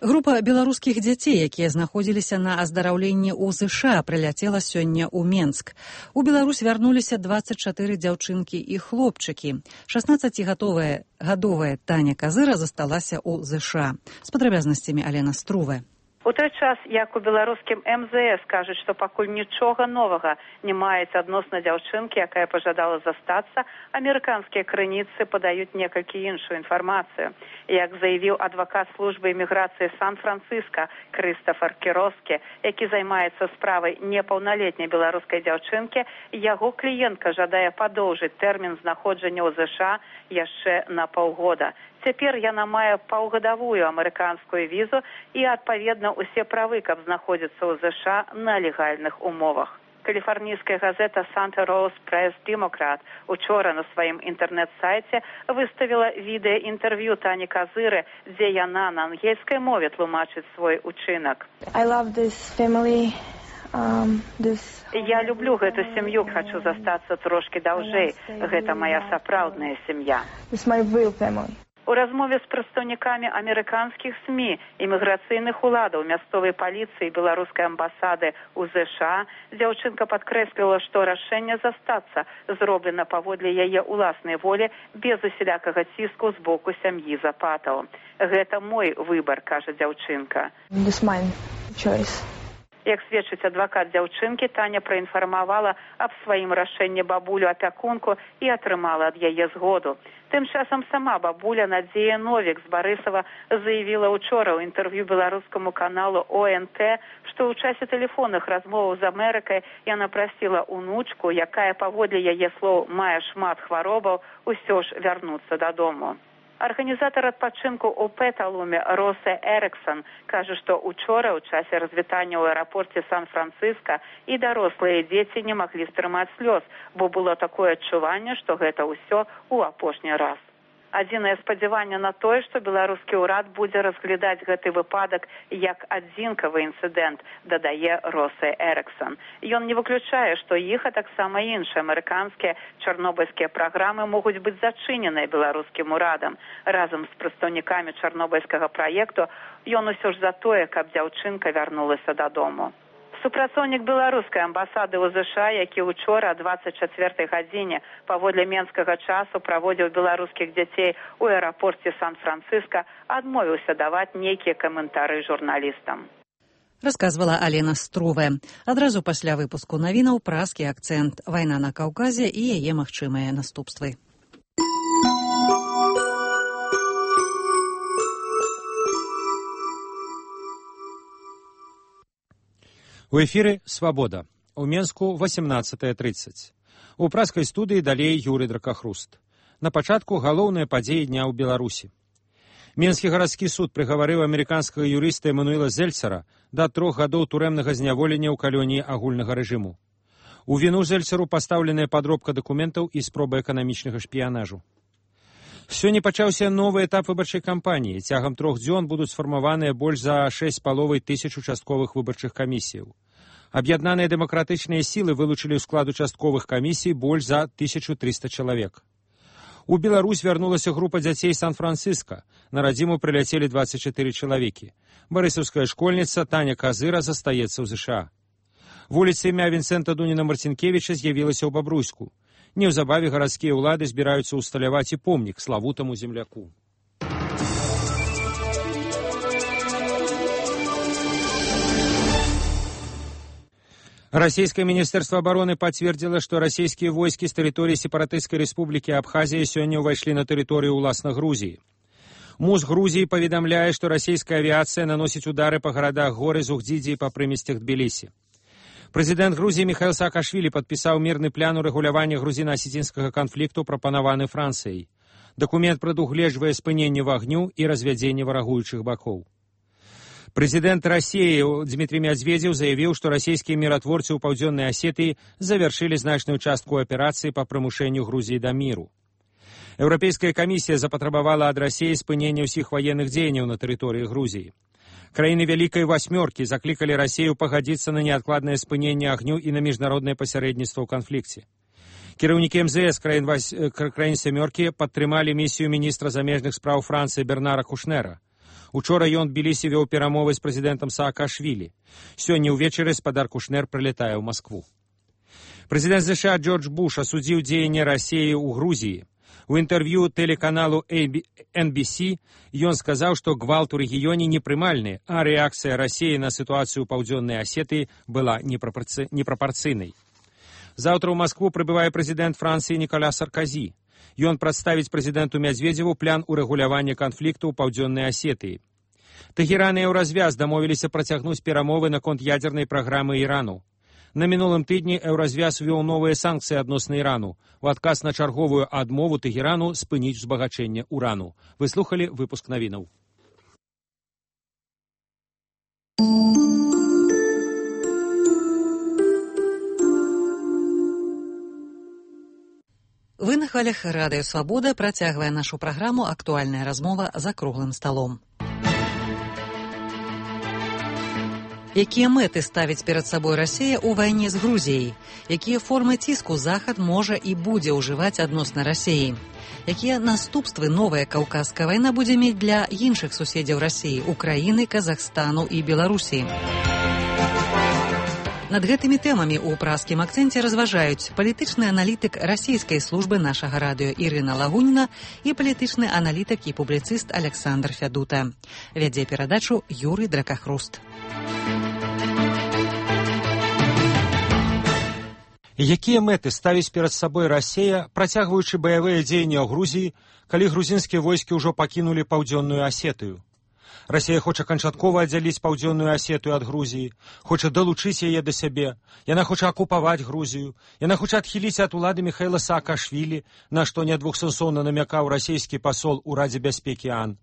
Група беларускіх дзяцей, якія знаходзіліся на аздараўленні ў ЗША, прыляцела сёння ў Менск. У Беларусь вярнуліся дваццаць чатыры дзяўчынкі і хлопчыкі. шаснаццацігадовая гадовая Таня Казыра засталася ў ЗША. З падрабязнасцямі Алена Струве. У той час, як у беларускім эм зэ эс кажуць, што пакуль нічога новага не маецца адносна дзяўчынкі, якая пажадала застацца, амерыканскія крыніцы падаюць некалькі іншую інфармацыю. Як заявіў адвакат службы іміграцыі Сан-Францыска Крыстафар Кіроскі, які займаецца справай непаўналетняй беларускай дзяўчынкі, яго кліентка жадае падоўжыць тэрмін знаходжання ў ЗША яшчэ на паўгода. Цяпер яна мае паўгадавую амерыканскую візу і, адпаведна, усе правы, каб знаходзіцца ў ЗША на легальных умовах. Каліфарнійская газета «Санта Роуз Пресс Демократ» учора на сваім інтэрнэт-сайце выставіла відэа-інтэрв'ю Тані Казыры, дзе яна на ангельскай мове тлумачыць свой учынак. I love this family. Um, this... Я люблю гэту сям'ю, хачу застацца трошкі даўжэй. Гэта мая сапраўдная сям'я. This is my real family. У размове з прадстаўнікамі амерыканскіх СМІ, іміграцыйных уладаў, мясцовай паліцыі і беларускай амбасады ў ЗША дзяўчынка падкрэсліла, што рашэнне застацца зроблена паводле яе ўласнай волі без усялякага ціску з боку сям'і Запатаў. Гэта мой выбар, кажа дзяўчынка. This is my choice. Як сведчыць адвакат дзяўчынкі, Таня праінфармавала аб сваім рашэнні бабулю-апякунку і атрымала ад яе згоду. Тым часам сама бабуля Надзея Новік з Барысава заявіла учора ў інтэрв'ю беларускаму каналу О Эн Тэ, што ў часе тэлефонных размоваў з Амерыкай яна прасіла унучку, якая паводле яе слоў мае шмат хваробаў, усё ж вярнуцца дадому. Арганізатар адпачынку ў Пэталуме Росе Эрыксон кажа, што учора ў часе развітання ў аэрапорце Сан-Францыска і дарослыя дзеці не маглі стрымаць слёз, бо было такое адчуванне, што гэта ўсё ў апошні раз. Адзінае спадзяванне на тое, што беларускі ўрад будзе разглядаць гэты выпадак як адзінкавы інцыдэнт, дадае Росе Эрыксон. Ён не выключае, што іх, а таксама іншыя амерыканскія чарнобыльскія праграмы могуць быць зачыненыя беларускім урадам. Разам з прадстаўнікамі чарнобыльскага праекту ён усё ж за тое, каб дзяўчынка вярнулася дадому. Супрацоўнік беларускай амбасады ў ЗША, які учора двадцать чатвёртай гадзіне паводле менскага часу праводзіў беларускіх дзяцей у аэрапорце Сан-Франциско, адмовіўся даваць нейкія каментары журналістам. Расказвала Алена Струве. Адразу пасля выпуску навінаў празкі акцэнт, вайна на Каўказе і яе магчымыя наступствы. У эфіры «Свабода». У Менску восемнадцатая тридцать. У празкай студыі далей Юры Дракахруст. На пачатку галоўныя падзеі дня ў Беларусі. Менскі гарадскі суд прыгаварыў амерыканскага юрыста Эмануэла Зельцара да трох гадоў турэмнага зняволення ў калоніі агульнага рэжыму. У віну Зельцару пастаўленая падробка дакументаў і спроба эканамічнага шпіянажу. Сёння пачаўся новы этап выбарчай кампаніі. Цягам трох дзён будуць сфармаваныя больш за шэсць з паловай тысяч участковых выбарчых камісіяў. Аб'яднаныя дэмакратычныя сілы вылучылі ў склад участковых камісій больш за тысячу трыста чалавек. У Беларусь вярнулася група дзяцей Сан-Франциско. На радзіму прыляцелі двадцать чатыры чалавекі. Барысаўская школьніца Таня Казыра застаецца ў ЗША. Вуліца імя Вінцэнта Дуніна Марцінкевіча з'явілася ў Бабруйску. Неўзабаве гарадскія ўлады збіраюцца ўсталяваць і помнік славутаму земляку. Российское министерство обороны подтвердило, что российские войски с территории сепаратистской республики Абхазия сегодня увошли на территорию уласна Грузии. МУС Грузии поведомляет, что российская авиация наносит удары по городах Горы, Зугдиди и по прыместях Тбилиси. Президент Грузии Михаил Саакашвили подписал мирный план урегулирования грузино-осетинского конфликту, пропонованный Францией. Документ прадугледжвае спыненне вагню и развядзенне варагуючых бакоў. Президент России Дмитрий Медведев заявил, что российские миротворцы у Паўдзённай Осетии завершили значную частку операции по прымушэнню Грузии до миру. Европейская комиссия запатрабавала от России спынення ўсіх военных дзеянняў на территории Грузии. Краіны Вялікай Васьмёркі закликали Россию погодиться на неоткладное спынение огню и на международное посередничество в конфликте. Кіраўнікі МЗС краін, Вась... краін Сямёркі падтрымалі миссию министра замежных спраў Франции Бернара Кушнера. Учора ён Тбілісі вёў перамовы з прэзідэнтам Саакашвілі. Сёння ўвечары спадар Кушнер прылетае ў Москву. Прэзідэнт ЗША Джордж Буш асудзіў дзеянне России ў Грузии. У интервью телеканалу эн би си ён сказаў, што гвалт у рэгіёне непрымальны, а рэакцыя России на сітуацыю Паўдзённай Осетыі была непрапорци... непрапорцыйнай. Заўтра ў Москву прыбывае прэзідэнт Францыі Николя Саркозі. Ён прадставіць прэзідэнту Медведеву план урэгулявання канфлікту ў Паўдзённай Осетыі. Тэгеран і Еўразвяз дамовіліся працягнуць перамовы наконт ядзернай праграмы Ірану. На мінулым тыдні Еўразвяз ввёў новыя санкцыі адносна Ірану у адказ на чарговую адмову Тэгерану спыніць узбагачэнне урану. Вы слухалі выпуск навінаў. Вы на хвалях радыё «Свабода» працягвае нашу праграму «Актуальная размова за круглым сталом». Якія мэты ставіць перад сабой Расія ў вайне з Грузіяй? Якія формы ціску Захад можа і будзе ўжываць адносна Расіі? Якія наступствы новая каўказская вайна будзе мець для іншых суседзяў Расіі, Украіны, Казахстану і Беларусі? Над гэтымі тэмамі ў празкім акцэнце разважаюць палітычны аналітык расійскай службы нашага радыё Ірына Лагуніна і палітычны аналітык і публіцыст Александр Фядута. Вядзе перадачу Юрый Дракахруст. Якія мэты ставіць перад сабой Расія, працягваючы баявыя дзеянні ў Грузіі, калі грузінскія войскі ўжо пакінулі Паўдзённую Асетыю? Расія хоча канчаткова аддзяліць Паўдзённую Асетыю ад Грузіі, хоча далучыць яе да сябе, яна хоча акупаваць Грузію, яна хоча адхіліць ад улады Михаила Саакашвілі, на што недвухсэнсоўна намякаў расійскі пасол у Радзе бяспекі ААН.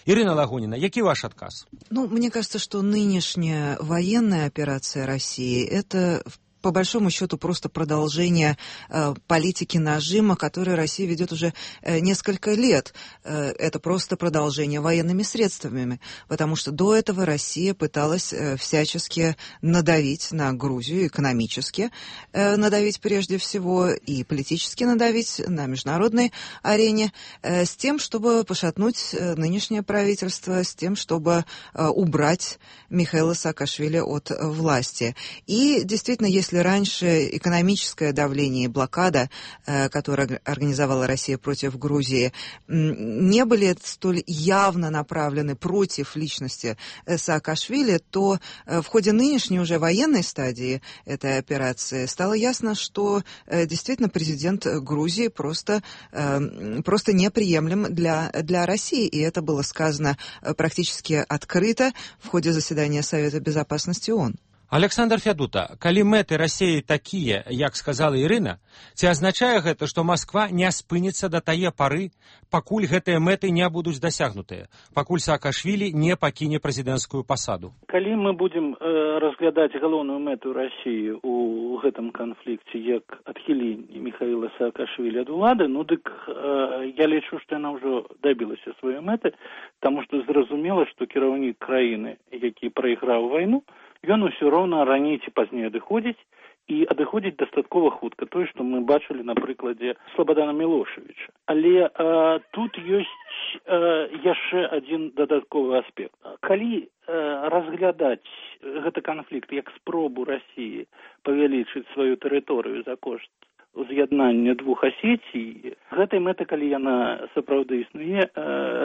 Ирина Лагунина, який ваш отказ? Ну, мне кажется, что нынешняя военная операция России – это по большому счету просто продолжение э, политики нажима, которую Россия ведет уже э, несколько лет. Э, это просто продолжение военными средствами, потому что до этого Россия пыталась э, всячески надавить на Грузию, экономически э, надавить прежде всего и политически надавить на международной арене, э, с тем, чтобы пошатнуть э, нынешнее правительство, с тем, чтобы э, убрать Михаила Саакашвили от э, власти. И действительно, если Если раньше экономическое давление и блокада, э, которую организовала Россия против Грузии, не были столь явно направлены против личности Саакашвили, то э, в ходе нынешней уже военной стадии этой операции стало ясно, что э, действительно президент Грузии просто, э, просто неприемлем для, для России. И это было сказано практически открыто в ходе заседания Совета Безопасности ООН. Александр Фядута, калі мэты Расіі такія, як сказала Ірына, ці азначае гэта, што Масква не спыніцца да тае пары, пакуль гэтыя мэты не будуць дасягнутыя, пакуль Саакашвілі не пакіне прэзідэнцкую пасаду? Калі мы будзем э, разглядаць галоўную мэту Расіі у гэтым канфлікце як адхіленне Михаила Саакашвілі ад улады, ну дык э, я лічу, што яна ўжо дабілася сваёй мэты, таму што зразумела, што кіраўнік краіны, які прайграў вайну, ён усё роўна раней ці пазней адыходзіць і адыходзіць дастаткова хутка. Тое, што мы бачылі на прыкладзе Слабадана Мілошавіча. Але э, тут ёсць э, яшчэ адзін дадатковы аспект. Калі э, разглядаць гэты канфлікт як спробу Расіі павялічыць сваю тэрыторыю за кошт уз'яднання двух Асетій, гэтай мэты, калі яна сапраўды існуе, э,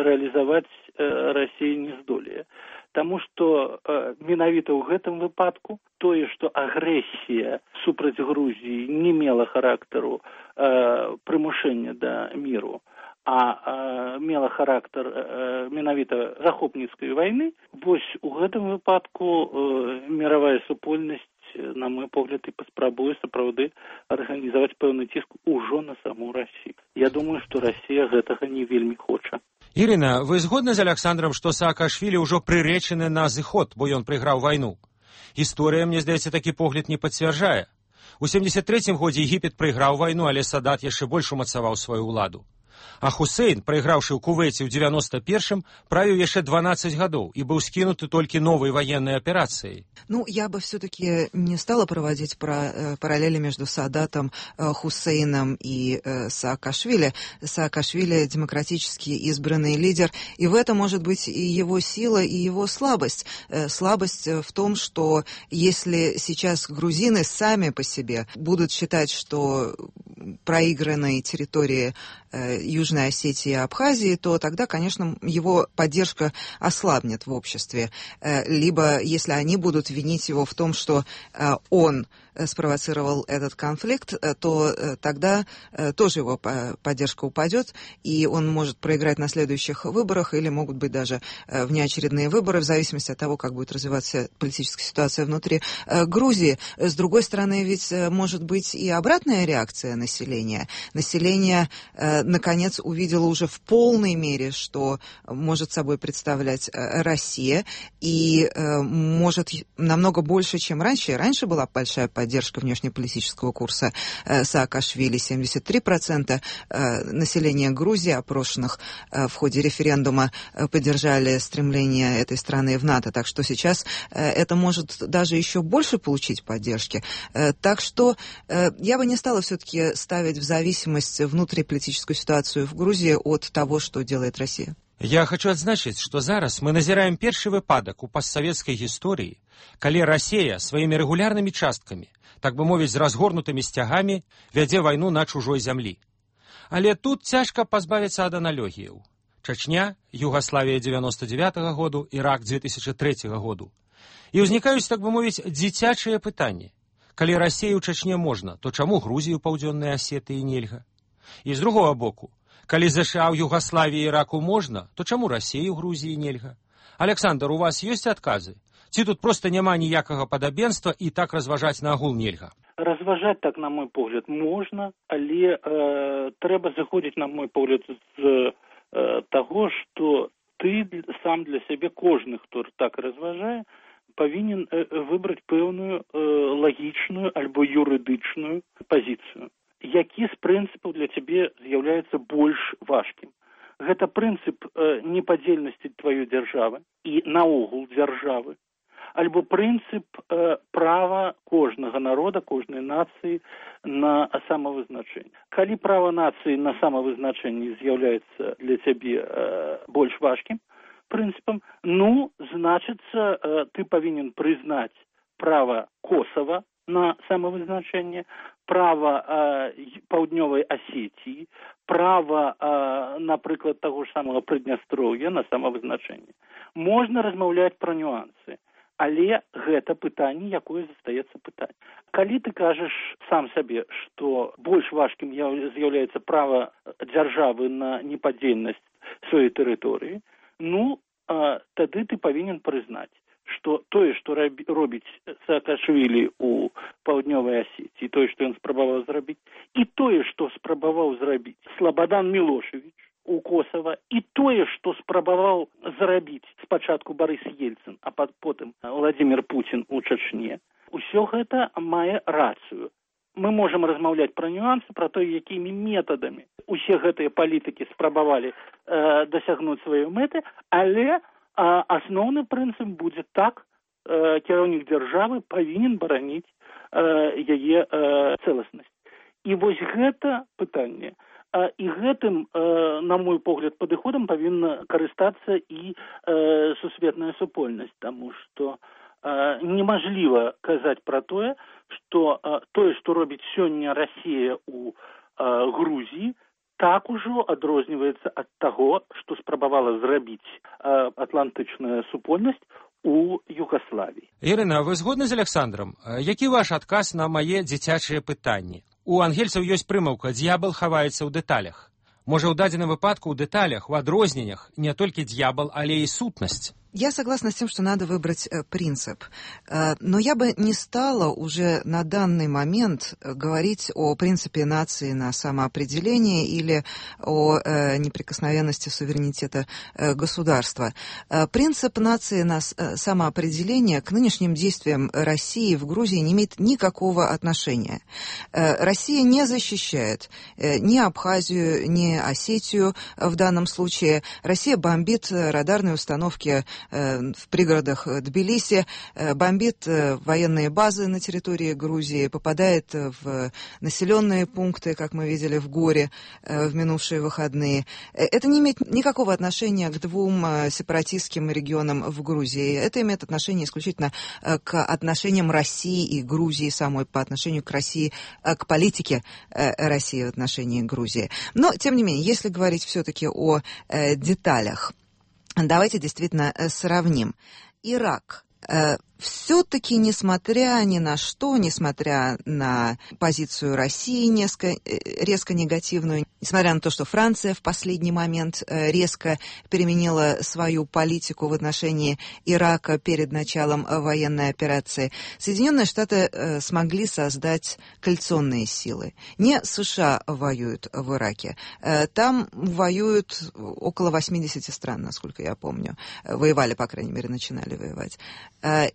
рэалізаваць э, Расія не здолее. Таму што э, менавіта ў гэтым выпадку тое, што агрэсія супраць Грузіі не мела характару э, прымушэння да міру, а э, мела характар э, менавіта захопніцкай вайны, вось у гэтым выпадку э, міравая супольнасць, на мой погляд, і паспрабуе сапраўды арганізаваць пэўны ціск ужо на саму Расію. Я думаю, што Расія гэтага не вельмі хоча. Ірына, вы згодны з Александром, што Саакашвілі ўжо прыречаны на зыход, бо ён прайграў вайну? Гісторыя, мне здаецца, такі погляд не пацвярджае. У сямдзесят трэцім годзе Егіпет прайграў вайну, але Садат яшчэ больш умацаваў сваю ўладу. А Хусейн, прайграўшы ў Кувейце ў девяносто першым, правіў яшчэ дванадцать гадоў и был скинуты только новой военной операцией. Ну, я бы все-таки не стала проводить про, параллели между Садатом, Хусейном и э, Саакашвили. Саакашвили демократически избранный лидер, и в этом может быть и его сила, и его слабость. Э, слабость в том, что если сейчас грузины сами по себе будут считать, что проигранные территории э, Южной Осетии и Абхазии, то тогда, конечно, его поддержка ослабнет в обществе. Э, либо, если они будут винить его в том, что э, он спровоцировал этот конфликт, то тогда тоже его поддержка упадет, и он может проиграть на следующих выборах, или могут быть даже внеочередные выборы, в зависимости от того, как будет развиваться политическая ситуация внутри Грузии. С другой стороны, ведь может быть и обратная реакция населения. Население, наконец, увидело уже в полной мере, что может собой представлять Россия, и может намного больше, чем раньше. Раньше была большая поддержка поддержка внешнеполитического курса э, Саакашвили. семьдесят три процента э, населения Грузии, опрошенных э, в ходе референдума, э, поддержали стремление этой страны в НАТО. Так что сейчас э, это может даже еще больше получить поддержки. Э, так что э, я бы не стала все-таки ставить в зависимость внутриполитическую ситуацию в Грузии от того, что делает Россия. Я хочу адзначыць, што зараз мы назіраем першы выпадак у постсавецкай гісторыі, калі Расія сваімі рэгулярнымі часткамі, так бы мовіць, з разгорнутымі сцягамі, вядзе вайну на чужой зямлі. Але тут цяжка пазбавіцца ад аналогіяў. Чачня, Югаславія девяносто девятого году, Ірак две тысячи третьего году. І ўзнікаюць, так бы мовіць, дзіцячыя пытанні. Калі Расію ў Чачне можна, то чаму Грузію паўдзённай Асетыі нельга? І з другого боку, калі ЗША ў Югаславіі і Іраку можна, то чаму Расіі ў Грузіі нельга? Александр, у вас ёсць адказы? Ці тут проста няма ніякага падабенства і так разважаць на агул нельга? Разважаць так, на мой погляд, можна, але э, трэба заходзіць, на мой погляд, з э, таго, што ты сам для сябе, кожны, хто так разважае, павінен выбраць пэўную лагічную альбо юрыдычную пазіцыю. Які з прынцыпаў для цябе з'яўляецца больш важкім? Гэта прынцып непадзельнасці тваёй дзяржавы і наогул дзяржавы, альбо прынцып права кожнага народа, кожнай нацыі на самавызначэнне. Калі права нацыі на самавызначэнне з'яўляецца для цябе больш важкім прынцыпам, ну, значыцца, ты павінен прызнаць права Косова на самавызначэнне, права Паўднёвай Асетіі, права, напрыклад, таго ж самага Прыднястроўя на самавызначэнне. Можна размаўляць пра нюансы, але гэта пытанне, якое застаецца пытанне. Калі ты кажаш сам сабе, што больш важкім з'яўляецца права дзяржавы на непадзельнасць сваёй тэрыторыі, ну, тады ты павінен прызнаць, што тое, што робіць Саакашвілі ў Паўднёвай Асетіі, тое, што ён спрабаваў зрабіць, і тое, што спрабаваў зрабіць Слабадан Мілошевіч у Косова, і тое, што спрабаваў зрабіць спачатку Барыс Ельцын, а потым Владзімір Пуцін у Чачне, усё гэта мае рацыю. Мы можам размаўляць пра нюансы, пра то, якімі метадамі усе гэтыя палітыкі спрабавалі э, дасягнуць сваёй мэты, але э, асноўны прынцып будзе так, э, кіраўнік дзяржавы павінен бараніць э, яе э, цэласнасць. І вось гэта пытанне, э, і гэтым, э, на мой погляд, падыходам павінна карыстацца і э, сусветная супольнасць, таму што немажліва казаць пра тое, што тое, што робіць сёння Расія ў Грузіі, так ужо адрозніваецца ад таго, што спрабавала зрабіць атлантычная супольнасць у Югаславіі. Ірына, вы згодны з Александром? Які ваш адказ на мае дзіцячыя пытанні? У ангельцаў ёсць прымаўка «Д'ябал хаваецца ў дэталях». Можа, ў дадзеным выпадку ў дэталях, у адрозненнях не толькі д'ябал, але і сутнасць? Я согласна с тем, что надо выбрать э, принцип. Э, но я бы не стала уже на данный момент говорить о принципе нации на самоопределение или о э, неприкосновенности суверенитета э, государства. Э, принцип нации на э, самоопределение к нынешним действиям России в Грузии не имеет никакого отношения. Э, Россия не защищает э, ни Абхазию, ни Осетию в данном случае. Россия бомбит радарные установки в пригородах Тбилиси, бомбит военные базы на территории Грузии, попадает в населенные пункты, как мы видели в Горе в минувшие выходные. Это не имеет никакого отношения к двум сепаратистским регионам в Грузии. Это имеет отношение исключительно к отношениям России и Грузии самой, по отношению к России, к политике России в отношении Грузии. Но, тем не менее, если говорить все-таки о деталях, давайте действительно сравним. Ирак. Все-таки, несмотря ни на что, несмотря на позицию России несколько, резко негативную, несмотря на то, что Франция в последний момент резко переменила свою политику в отношении Ирака перед началом военной операции, Соединенные Штаты смогли создать коалиционные силы. Не США воюют в Ираке. Там воюют около восьмидесяти стран, насколько я помню. Воевали, по крайней мере, начинали воевать.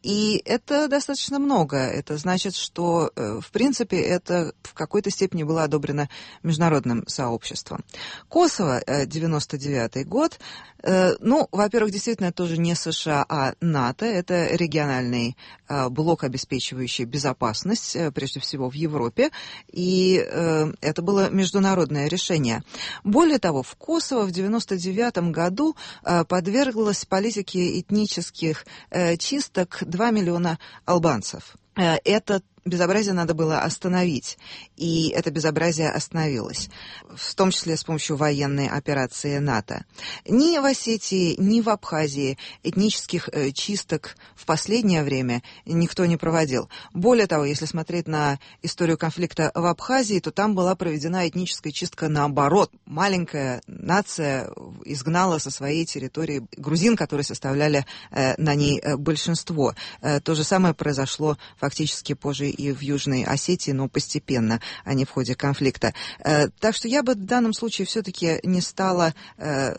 И И это достаточно много. Это значит, что, в принципе, это в какой-то степени было одобрено международным сообществом. Косово, девяносто девятый год. Ну, во-первых, действительно, тоже не США, а НАТО. Это региональный блок, обеспечивающий безопасность, прежде всего, в Европе. И это было международное решение. Более того, в Косово в девяносто девятом году подверглась политике этнических чисток два миллиона албанцев. Это безобразие надо было остановить, и это безобразие остановилось, в том числе с помощью военной операции НАТО. Ни в Осетии, ни в Абхазии этнических э, чисток в последнее время никто не проводил. Более того, если смотреть на историю конфликта в Абхазии, то там была проведена этническая чистка наоборот. Маленькая нация изгнала со своей территории грузин, которые составляли э, на ней э, большинство. Э, то же самое произошло фактически позже и в Южной Осетии, но постепенно, а не в ходе конфликта. Так что я бы в данном случае все-таки не стала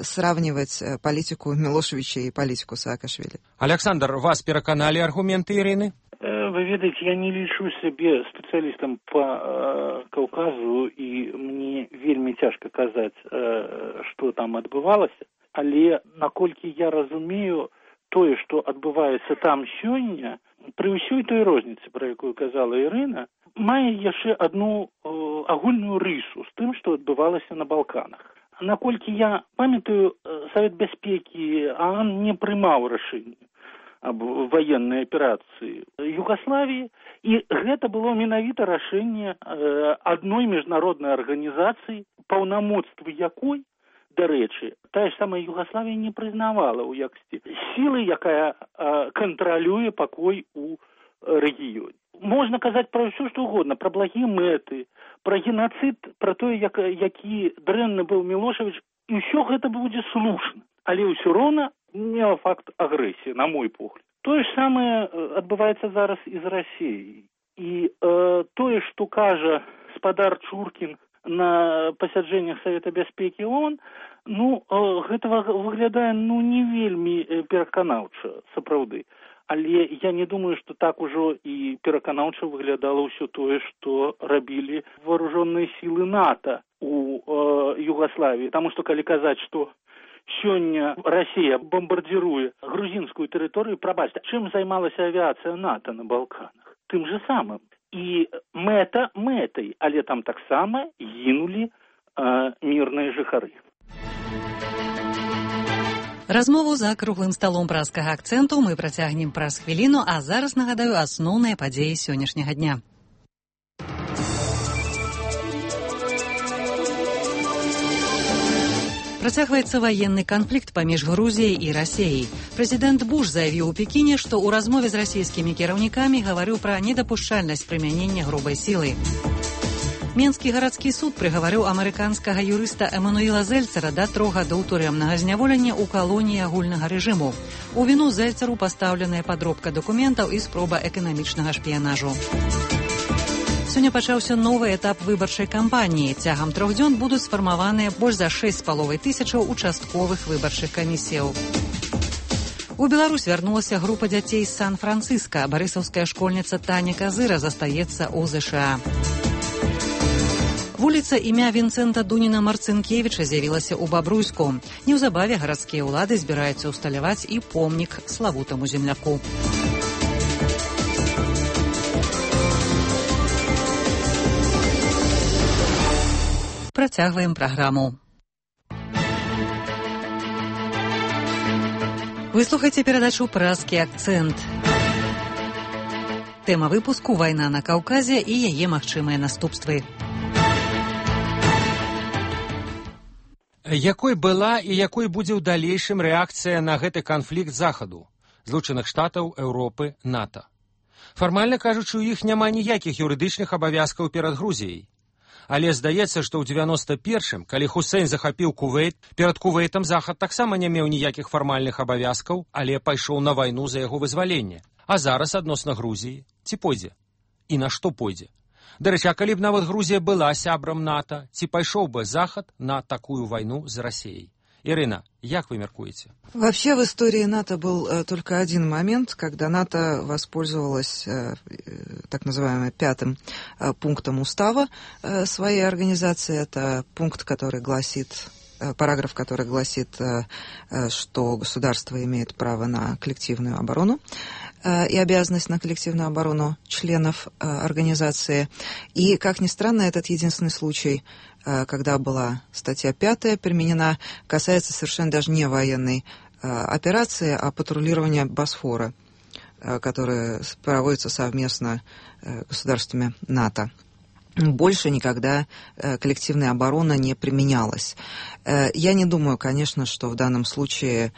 сравнивать политику Милошевича и политику Саакашвили. Александр, вас переконали аргументы Ирины? Вы ведаете, я не лічу себе специалистом по э, Каўказу, и мне вельмі цяжка казаць, э, что там адбывалася, але наколькі я разумею, тое, што адбываецца там сёння, пры ўсёй той розніцы, пра якую казала Ірына, мае яшчэ одну э, агульную рысу з тым, што адбывалася на Балканах. Наколькі я памятаю, Савет бяспекі ААН не прымаў рашэнне аб военной аперацыі Югославіі, і гэта было менавіта рашэнне э, адной міжнароднай арганізацыі, паўнамоцтвы якой, дарэчы, тая ж самая Югославія не прызнавала ў якасці сілы, якая э, кантралюе пакой у рэгіёне. Можна казаць пра ўсё, што угодна, пра благія мэты, пра геноцид, пра тое, як, які дрэнны быў Мілошевіч, і ўсё гэта будзе слушна. Але ўсё роўна не факт агрэсіі, на мой погляд. Тое ж самае адбываецца зараз і з Расіяй. І э, тое, што кажа спадар Чуркін на пасяджэннях Савета бяспекі ООН, ну, э, гэта выглядае, ну, не вельмі пераканаўча, сапраўды. Але я не думаю, што так ужо і пераканаўча выглядала ўсё тое, што рабілі вооружённыя сілы НАТО у э, Югославіі. Таму што калі казаць, што сёння Расія бомбардзіруе грузінскую тэрыторыю, прабачце, чым займалася авіацыя НАТО на Балканах? Тым же самым. І мэта мэтай, але там таксама гінулі э, мірныя жыхары. Размову за круглым сталом праскага акцэнту мы працягнем праз хвіліну, а зараз нагадаю асноўныя падзеі сённяшняга дня. Працягваецца военны канфлікт паміж Грузіяй і Расіяй. Прэзідэнт Буш заявіў у Пекіне, што ў размове з расійскімі кіраўнікамі гаварыў пра недапушчальнасць прымянення грубай сілы. Менскі гарадскі суд прыгаварыў амерыканскага юрыста Эмануіла Зельцера да трох гадоў турэмнага зняволення ў калоніі агульнага рэжыму. У віну Зельцеру пастаўленая падробка дакументаў і спроба эканамічнага шпіянажу. Сёння пачаўся новы этап выбарчай кампаніі. Цягам трох дзён будуць сфармаваныя больш за шэсць з паловай тысячаў участковых выбарчых камісіяў. У Беларусь вярнулася група дзяцей з Сан-Францыска. Барысаўская школьніца Таня Казыра застаецца ў ЗША. Вуліца імя Вінцэнта Дуніна-Марцынкевіча з'явілася ў Бабруйску. Неўзабаве гарадскія ўлады збіраюцца ўсталяваць і помнік славутаму земляку. Працягваем праграму. Вы слухаеце перадачу «Празкі акцэнт». Тэма выпуску «Вайна на Каўказе» і яе магчымыя наступствы. Якой была і якой будзе ў далейшым рэакцыя на гэты канфлікт Захаду, Злучаных Штатаў, Еўропы, НАТО? Фармальна кажучы, у іх няма ніякіх юрыдычных абавязкаў перад Грузіяй. Але здаецца, што ў дзевяноста першым, калі Хусейн захапіў Кувейт, перад Кувейтам Захад таксама не меў ніякіх фармальных абавязкаў, але пайшоў на вайну за яго вызваленне. А зараз адносна Грузіі ці пойдзе? І на што пойдзе? Дарэчы, а калі б нават Грузія была сябрам НАТО, ці пайшоў бы Захад на такую вайну з Расіяй? Ирина, як вы меркуете? Вообще в истории НАТО был э, только один момент, когда НАТО воспользовалась э, так называемым пятым э, пунктом устава э, своей организации. Это пункт, который гласит, э, параграф, который гласит, э, э, что государство имеет право на коллективную оборону э, и обязанность на коллективную оборону членов э, организации. И, как ни странно, этот единственный случай, когда была статья пятая применена, касается совершенно даже не военной операции, а патрулирования Босфора, которое проводится совместно государствами НАТО. Больше никогда коллективная оборона не применялась. Я не думаю, конечно, что в данном случае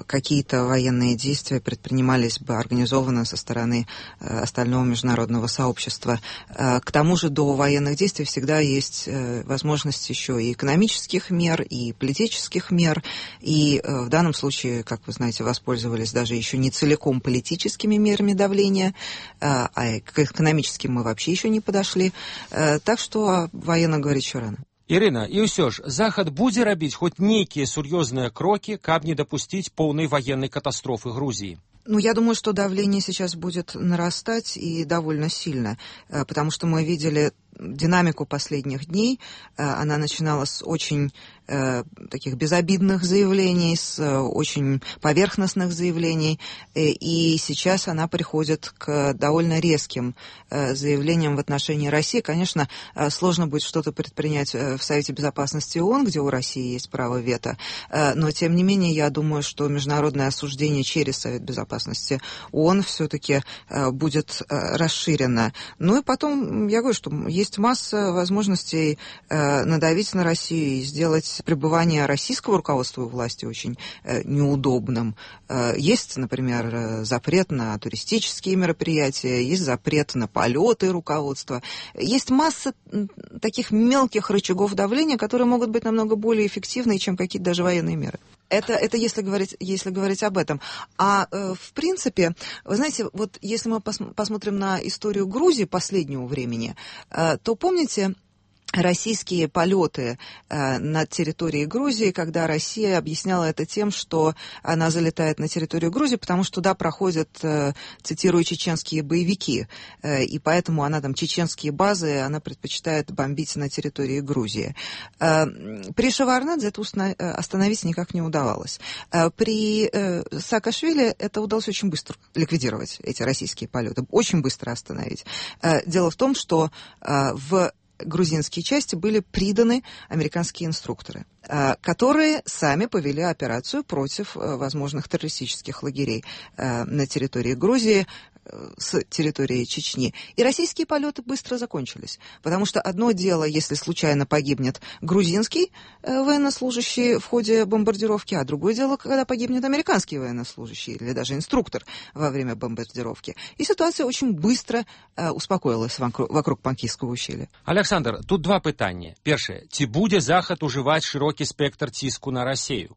какие-то военные действия предпринимались бы организованно со стороны остального международного сообщества. К тому же до военных действий всегда есть возможность еще и экономических мер, и политических мер, и в данном случае, как вы знаете, воспользовались даже еще не целиком политическими мерами давления, а к экономическим мы вообще еще не подошли. Так что о военных говорить еще рано. Ірына, і ўсё ж, Захад будзе рабіць хоць нейкія сур'ёзныя крокі, каб не дапусціць поўнай военной катастрофы Грузии? Ну, я думаю, что давление сейчас будет нарастать и довольно сильно, потому что мы видели динамику последних дней. Она начинала с очень э, таких безобидных заявлений, с э, очень поверхностных заявлений, э, и сейчас она приходит к довольно резким э, заявлениям в отношении России. Конечно, э, сложно будет что-то предпринять в Совете Безопасности ООН, где у России есть право вето, э, но, тем не менее, я думаю, что международное осуждение через Совет Безопасности ООН все-таки э, будет э, расширено. Ну и потом, я говорю, что есть Есть масса возможностей э, надавить на Россию и сделать пребывание российского руководства у власти очень э, неудобным. Э, есть, например, запрет на туристические мероприятия, есть запрет на полеты руководства. Есть масса таких мелких рычагов давления, которые могут быть намного более эффективны, чем какие-то даже военные меры. Это, это если говорить, если говорить об этом. А э, в принципе, вы знаете, вот если мы пос- посмотрим на историю Грузии последнего времени, э, то помните российские полеты э, над территорией Грузии, когда Россия объясняла это тем, что она залетает на территорию Грузии, потому что туда проходят, э, цитирую, чеченские боевики, э, и поэтому она там чеченские базы, она предпочитает бомбить на территории Грузии. Э, при Шеварднадзе это установ- остановить никак не удавалось. Э, при э, Саакашвили это удалось очень быстро ликвидировать, эти российские полеты, очень быстро остановить. Э, дело в том, что э, в грузинские части были приданы американские инструкторы, которые сами повели операцию против возможных террористических лагерей на территории Грузии, с территории Чечни. И российские полеты быстро закончились. Потому что одно дело, если случайно погибнет грузинский э, военнослужащий в ходе бомбардировки, а другое дело, когда погибнет американский военнослужащий или даже инструктор во время бомбардировки. И ситуация очень быстро э, успокоилась вокруг, вокруг Панкійского ущелья. Александр, тут два пытання. Першае, ці будзе Захад ужываць шырокі спектр ціску на Расію?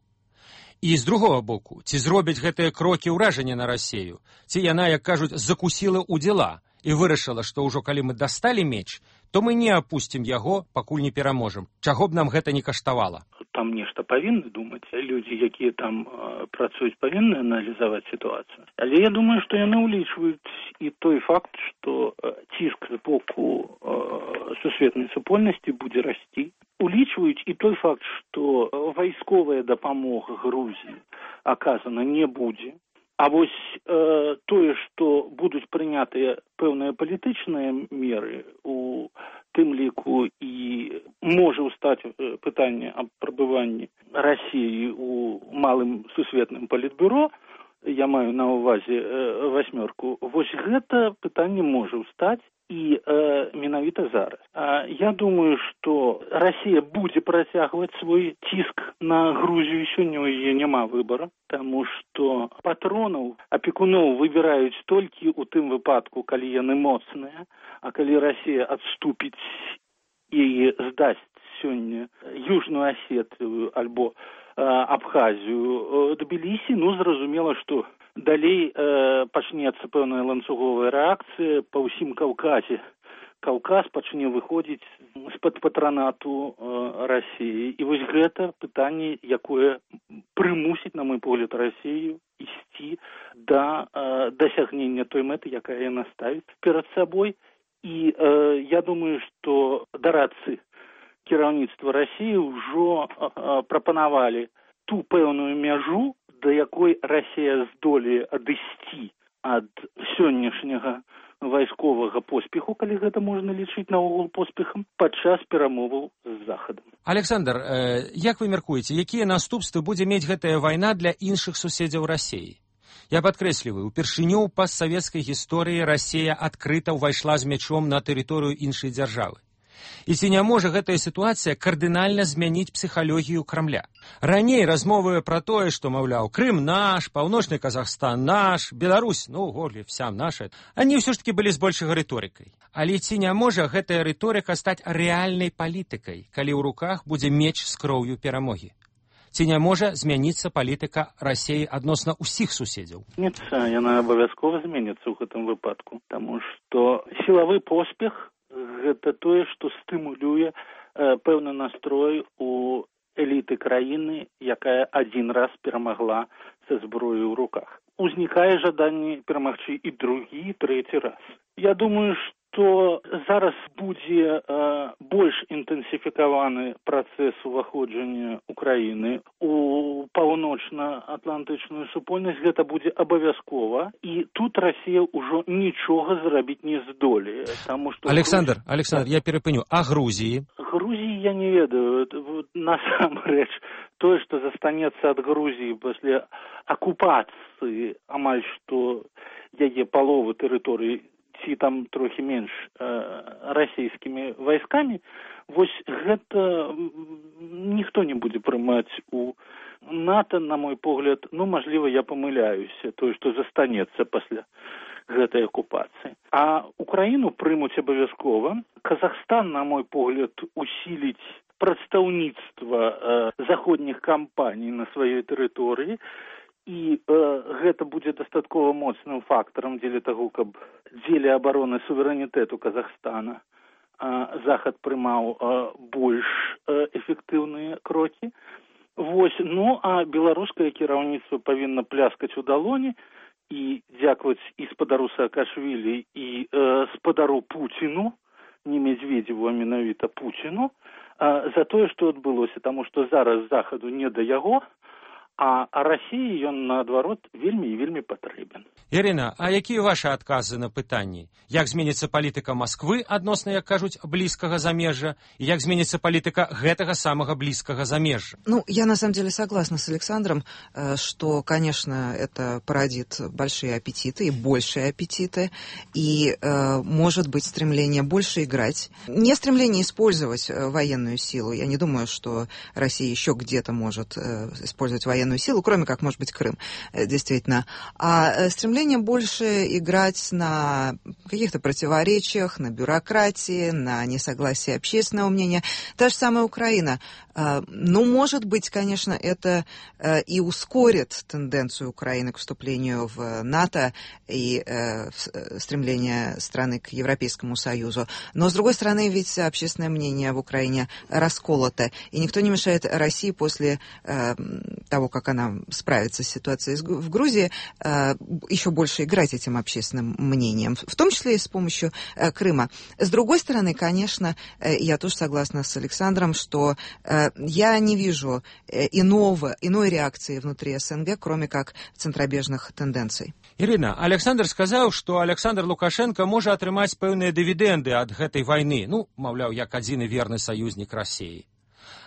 І з другого боку, ці зробяць гэтыя крокі ўражання на Расію, ці яна, як кажуць, закусіла ў дзела і вырашыла, што ўжо калі мы дасталі меч, то мы не апусцім яго, пакуль не пераможам. Чаго б нам гэта не каштавала? Там нешта павінны думаць, людзі, якія там э, працуюць, павінны аналізаваць сітуацыю. Але я думаю, што яны ўлічваюць і той факт, што э, ціск з боку э, сусветнай супольнасці будзе расці. Улічваюць і той факт, што вайсковая дапамога Грузіі аказана не будзе. А вось э, тое, што будуць прынятыя пэўныя палітычныя меры, у тым ліку і можа ўстаць пытанне аб прабыванні Расіі у малым сусветным палітбюро, я маю на ўвазе э, васьмёрку, вось гэта пытанне можа ўстаць і э, менавіта зараз. А я думаю, што Расія будзе працягваць свой ціск на Грузію, сёння ў яе няма выбара, таму што патронаў, апекуноў выбіраюць толькі ў тым выпадку, калі яны моцныя, а калі Расія адступіць і здасць сёння Южную Асетыю альбо э, Абхазію, Тбілісі, ну, зразумела, што далей э, пачнецца пэўная ланцуговая рэакцыя па ўсім Каўказе. Каўказ пачне выходзіць з-пад патранату э, Расіі. І вось гэта пытанне, якое прымусіць, на мой погляд, Расію ісці да э, дасягнення той мэты, якая яна ставіць перад сабой. І э, я думаю, што дарадцы кіраўніцтва Расіі ўжо э, прапанавалі ту пэўную мяжу, да якой Расія здолее адысці ад сённяшняга вайсковага поспеху, калі гэта можна лічыць наогул поспехам, падчас перамоваў з Захадам. Александр, э, як вы мяркуеце, якія наступствы будзе мець гэтая вайна для іншых суседзяў Расіі? Я падкрэсліваю, упершыню ў пастсавецкай гісторыі Расія адкрыта ўвайшла з мячом на тэрыторыю іншай дзяржавы. І ці не можа гэтая сітуацыя кардынальна змяніць псіхалогію Крамля. Раней размовы пра тое, што, маўляў, Крым наш, паўночны Казахстан наш, Беларусь, ну, голі, вся наша, они ўсё ж таки былі з большай рыторыкай. Але ці не можа гэтая рыторыка стаць рэальнай палітыкай, калі ў руках будзе меч з кроўю перамогі? Ці не можа змяніцца палітыка Расіі адносна ўсіх суседзяў? Нет, яна абавязкова зменіцца ў гэтым выпадку, таму што сілавы поспех гэта тое, што стымулюе э, пэўны настрой у эліты краіны, якая адзін раз перамагла са зброёй у руках. Узнікае жаданне перамагчы і другі, і трэці раз. Я думаю, што зараз будзе э, больш інтэнсіфікаваны працэс уваходжання Украіны у паўночна-атлантычную супольнасць. Гэта будзе абавязкова, і тут Расія ўжо нічога зрабіць не здолее. Таму што Александр, Грузі... Александр, я перапыню. А Грузіі? Грузіі я не ведаю. Насамрэч, тое, што застанецца ад Грузіі пасля акупацыі амаль што яе паловы тэрыторыі, ці там трохі менш э, расійскімі вайскамі, вось гэта ніхто не будзе прымаць у НАТО, на мой погляд. Ну, мажліва, я памыляюся, тое, што застанецца пасля гэтай акупацыі. А Украіну прымуць абавязкова. Казахстан, на мой погляд, усіліць прадстаўніцтва э, заходніх кампаній на сваёй тэрыторыі, і э, гэта будзе дастаткова моцным фактарам дзеля таго, каб дзеля абароны суверэнітэту Казахстана э, Захад прымаў э, больш э, эфектыўныя крокі. Вось, ну, а беларускае кіраўніцтва павінна пляскаць у далоні і дзякаваць і спадару Саакашвілі, і э, спадару Пуціну, не Медведзеву, а менавіта Пуціну, э, за тое, што адбылося, таму што зараз Захаду не да яго, а Расіі ён, наадварот, вельмі і вельмі патрэбен. Ірына, а якія вашы адказы на пытанні? Як зменіцца палітыка Масквы адносна, як кажуць, блізкага замежжа, і як зменіцца палітыка гэтага самага блізкага замежжа? Ну, я на самом деле согласна с Александром, что, конечно, это породит большие аппетиты и большие аппетиты, и э, может быть стремление больше играть. Не стремление использовать военную силу. Я не думаю, что Россия еще где-то может э, использовать военную силу, кроме как, может быть, Крым, действительно. А стремление больше играть на каких-то противоречиях, на бюрократии, на несогласии общественного мнения. Та же самая Украина. Ну, может быть, конечно, это и ускорит тенденцию Украины к вступлению в НАТО и стремление страны к Европейскому Союзу. Но, с другой стороны, ведь общественное мнение в Украине расколото. И никто не мешает России после того, как она справится с ситуацией в Грузии, еще больше играть этим общественным мнением, в том числе и с помощью Крыма. С другой стороны, конечно, я тоже согласна с Александром, что я не вижу иного, иной реакции внутри СНГ, кроме как центробежных тенденций. Ірына, Александр сказаў, што Александр Лукашенко можа атрымаць пэўныя дывідэнды ад гэтай вайны, ну, маўляў, як адзіны верны саюзнік Расіі.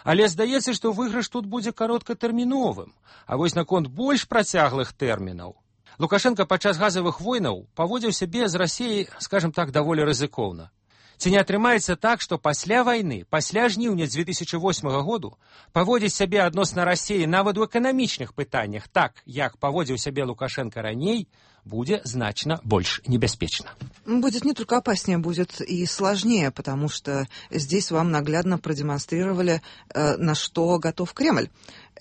Але здаецца, што выйгрыш тут будзе кароткатэрміновым, а вось наконт больш працяглых тэрмінаў. Лукашенко падчас газавых войнаў паводзіў сябе з Расіяй, скажем так, даволі рызыкоўна. Ці не атрымаецца так, што пасля вайны, пасля жніўня дзве тысячы восьмага году, паводзіць сябе адносна Расіі нават у эканамічных пытаннях так, як паводзіў сябе Лукашенко раней, будет значно больше небеспечно. Будет не только опаснее, будет и сложнее, потому что здесь вам наглядно продемонстрировали, э, на что готов Кремль.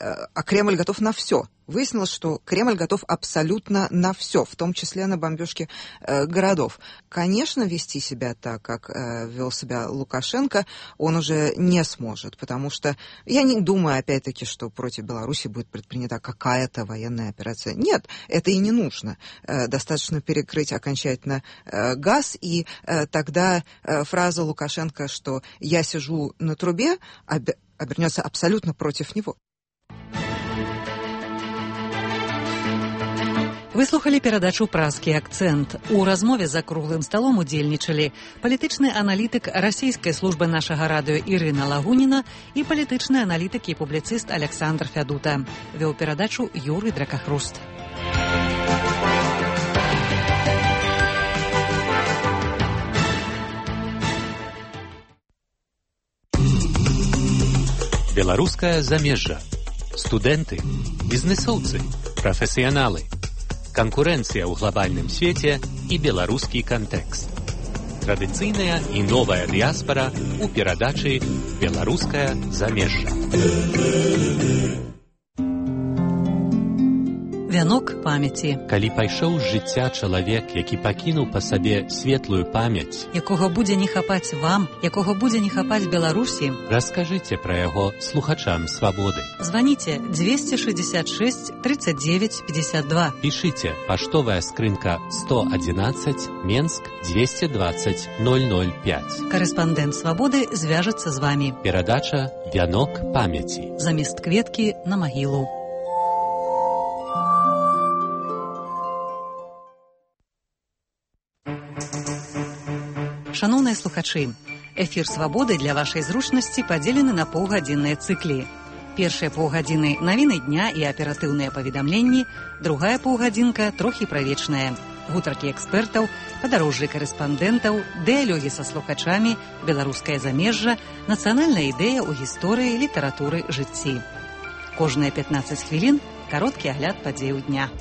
Э, а Кремль готов на все. Выяснилось, что Кремль готов абсолютно на все, в том числе на бомбежки э, городов. Конечно, вести себя так, как э, вел себя Лукашенко, он уже не сможет, потому что я не думаю, опять-таки, что против Беларуси будет предпринята какая-то военная операция. Нет, это и не нужно. Э, достаточно перекрыть окончательно э, газ, и э, тогда э, фраза Лукашенко, что «я сижу на трубе», об- обернется абсолютно против него. Выслухалі перадачу «Празкі акцэнт». У размове за круглым сталом удзельнічалі палітычны аналітык расійскай службы нашага радыё Ірына Лагуніна і палітычны аналітык і публіцыст Александр Фядута. Вёў перадачу Юрый Дракахруст. Беларускае замежжа. Студэнты, бізнесоўцы, прафесіяналы. Канкурэнцыя ў глобальным свеце і беларускі кантэкст. Традыцыйная і новая дыяспара ў перадачы «Беларускае замежжа». Вянок памяці. Калі пайшоў з жыцця чалавек, які пакінуў па сабе светлую памяць, якога будзе не хапаць вам, якога будзе не хапаць Беларусі, раскажыце пра яго слухачам свабоды. Званіце двести шестьдесят шесть тридцать девять пятьдесят два. Пішыце паштовая скрынка сто одиннадцать, Менск двести двадцать ноль ноль пять. Карэспандэнт свабоды звяжацца з вамі. Перадача «Вянок памяці». Замест кветкі на магілу. Шановныя слухачы, эфір «Свабоды» для вашай зручнасці падзелены на паўгадзінныя цыклі. Першыя паўгадзіны – навіны дня і аператыўныя паведамленні, другая паўгадзінка – трохі правечная. Гутаркі экспертаў, падарожжы карэспандэнтаў, дыялогі са слухачамі, беларускае замежжа, нацыянальная ідэя ў гісторыі, літаратуры, жыцці. Кожныя пятнаццаць хвілін – кароткі агляд падзеяў дня.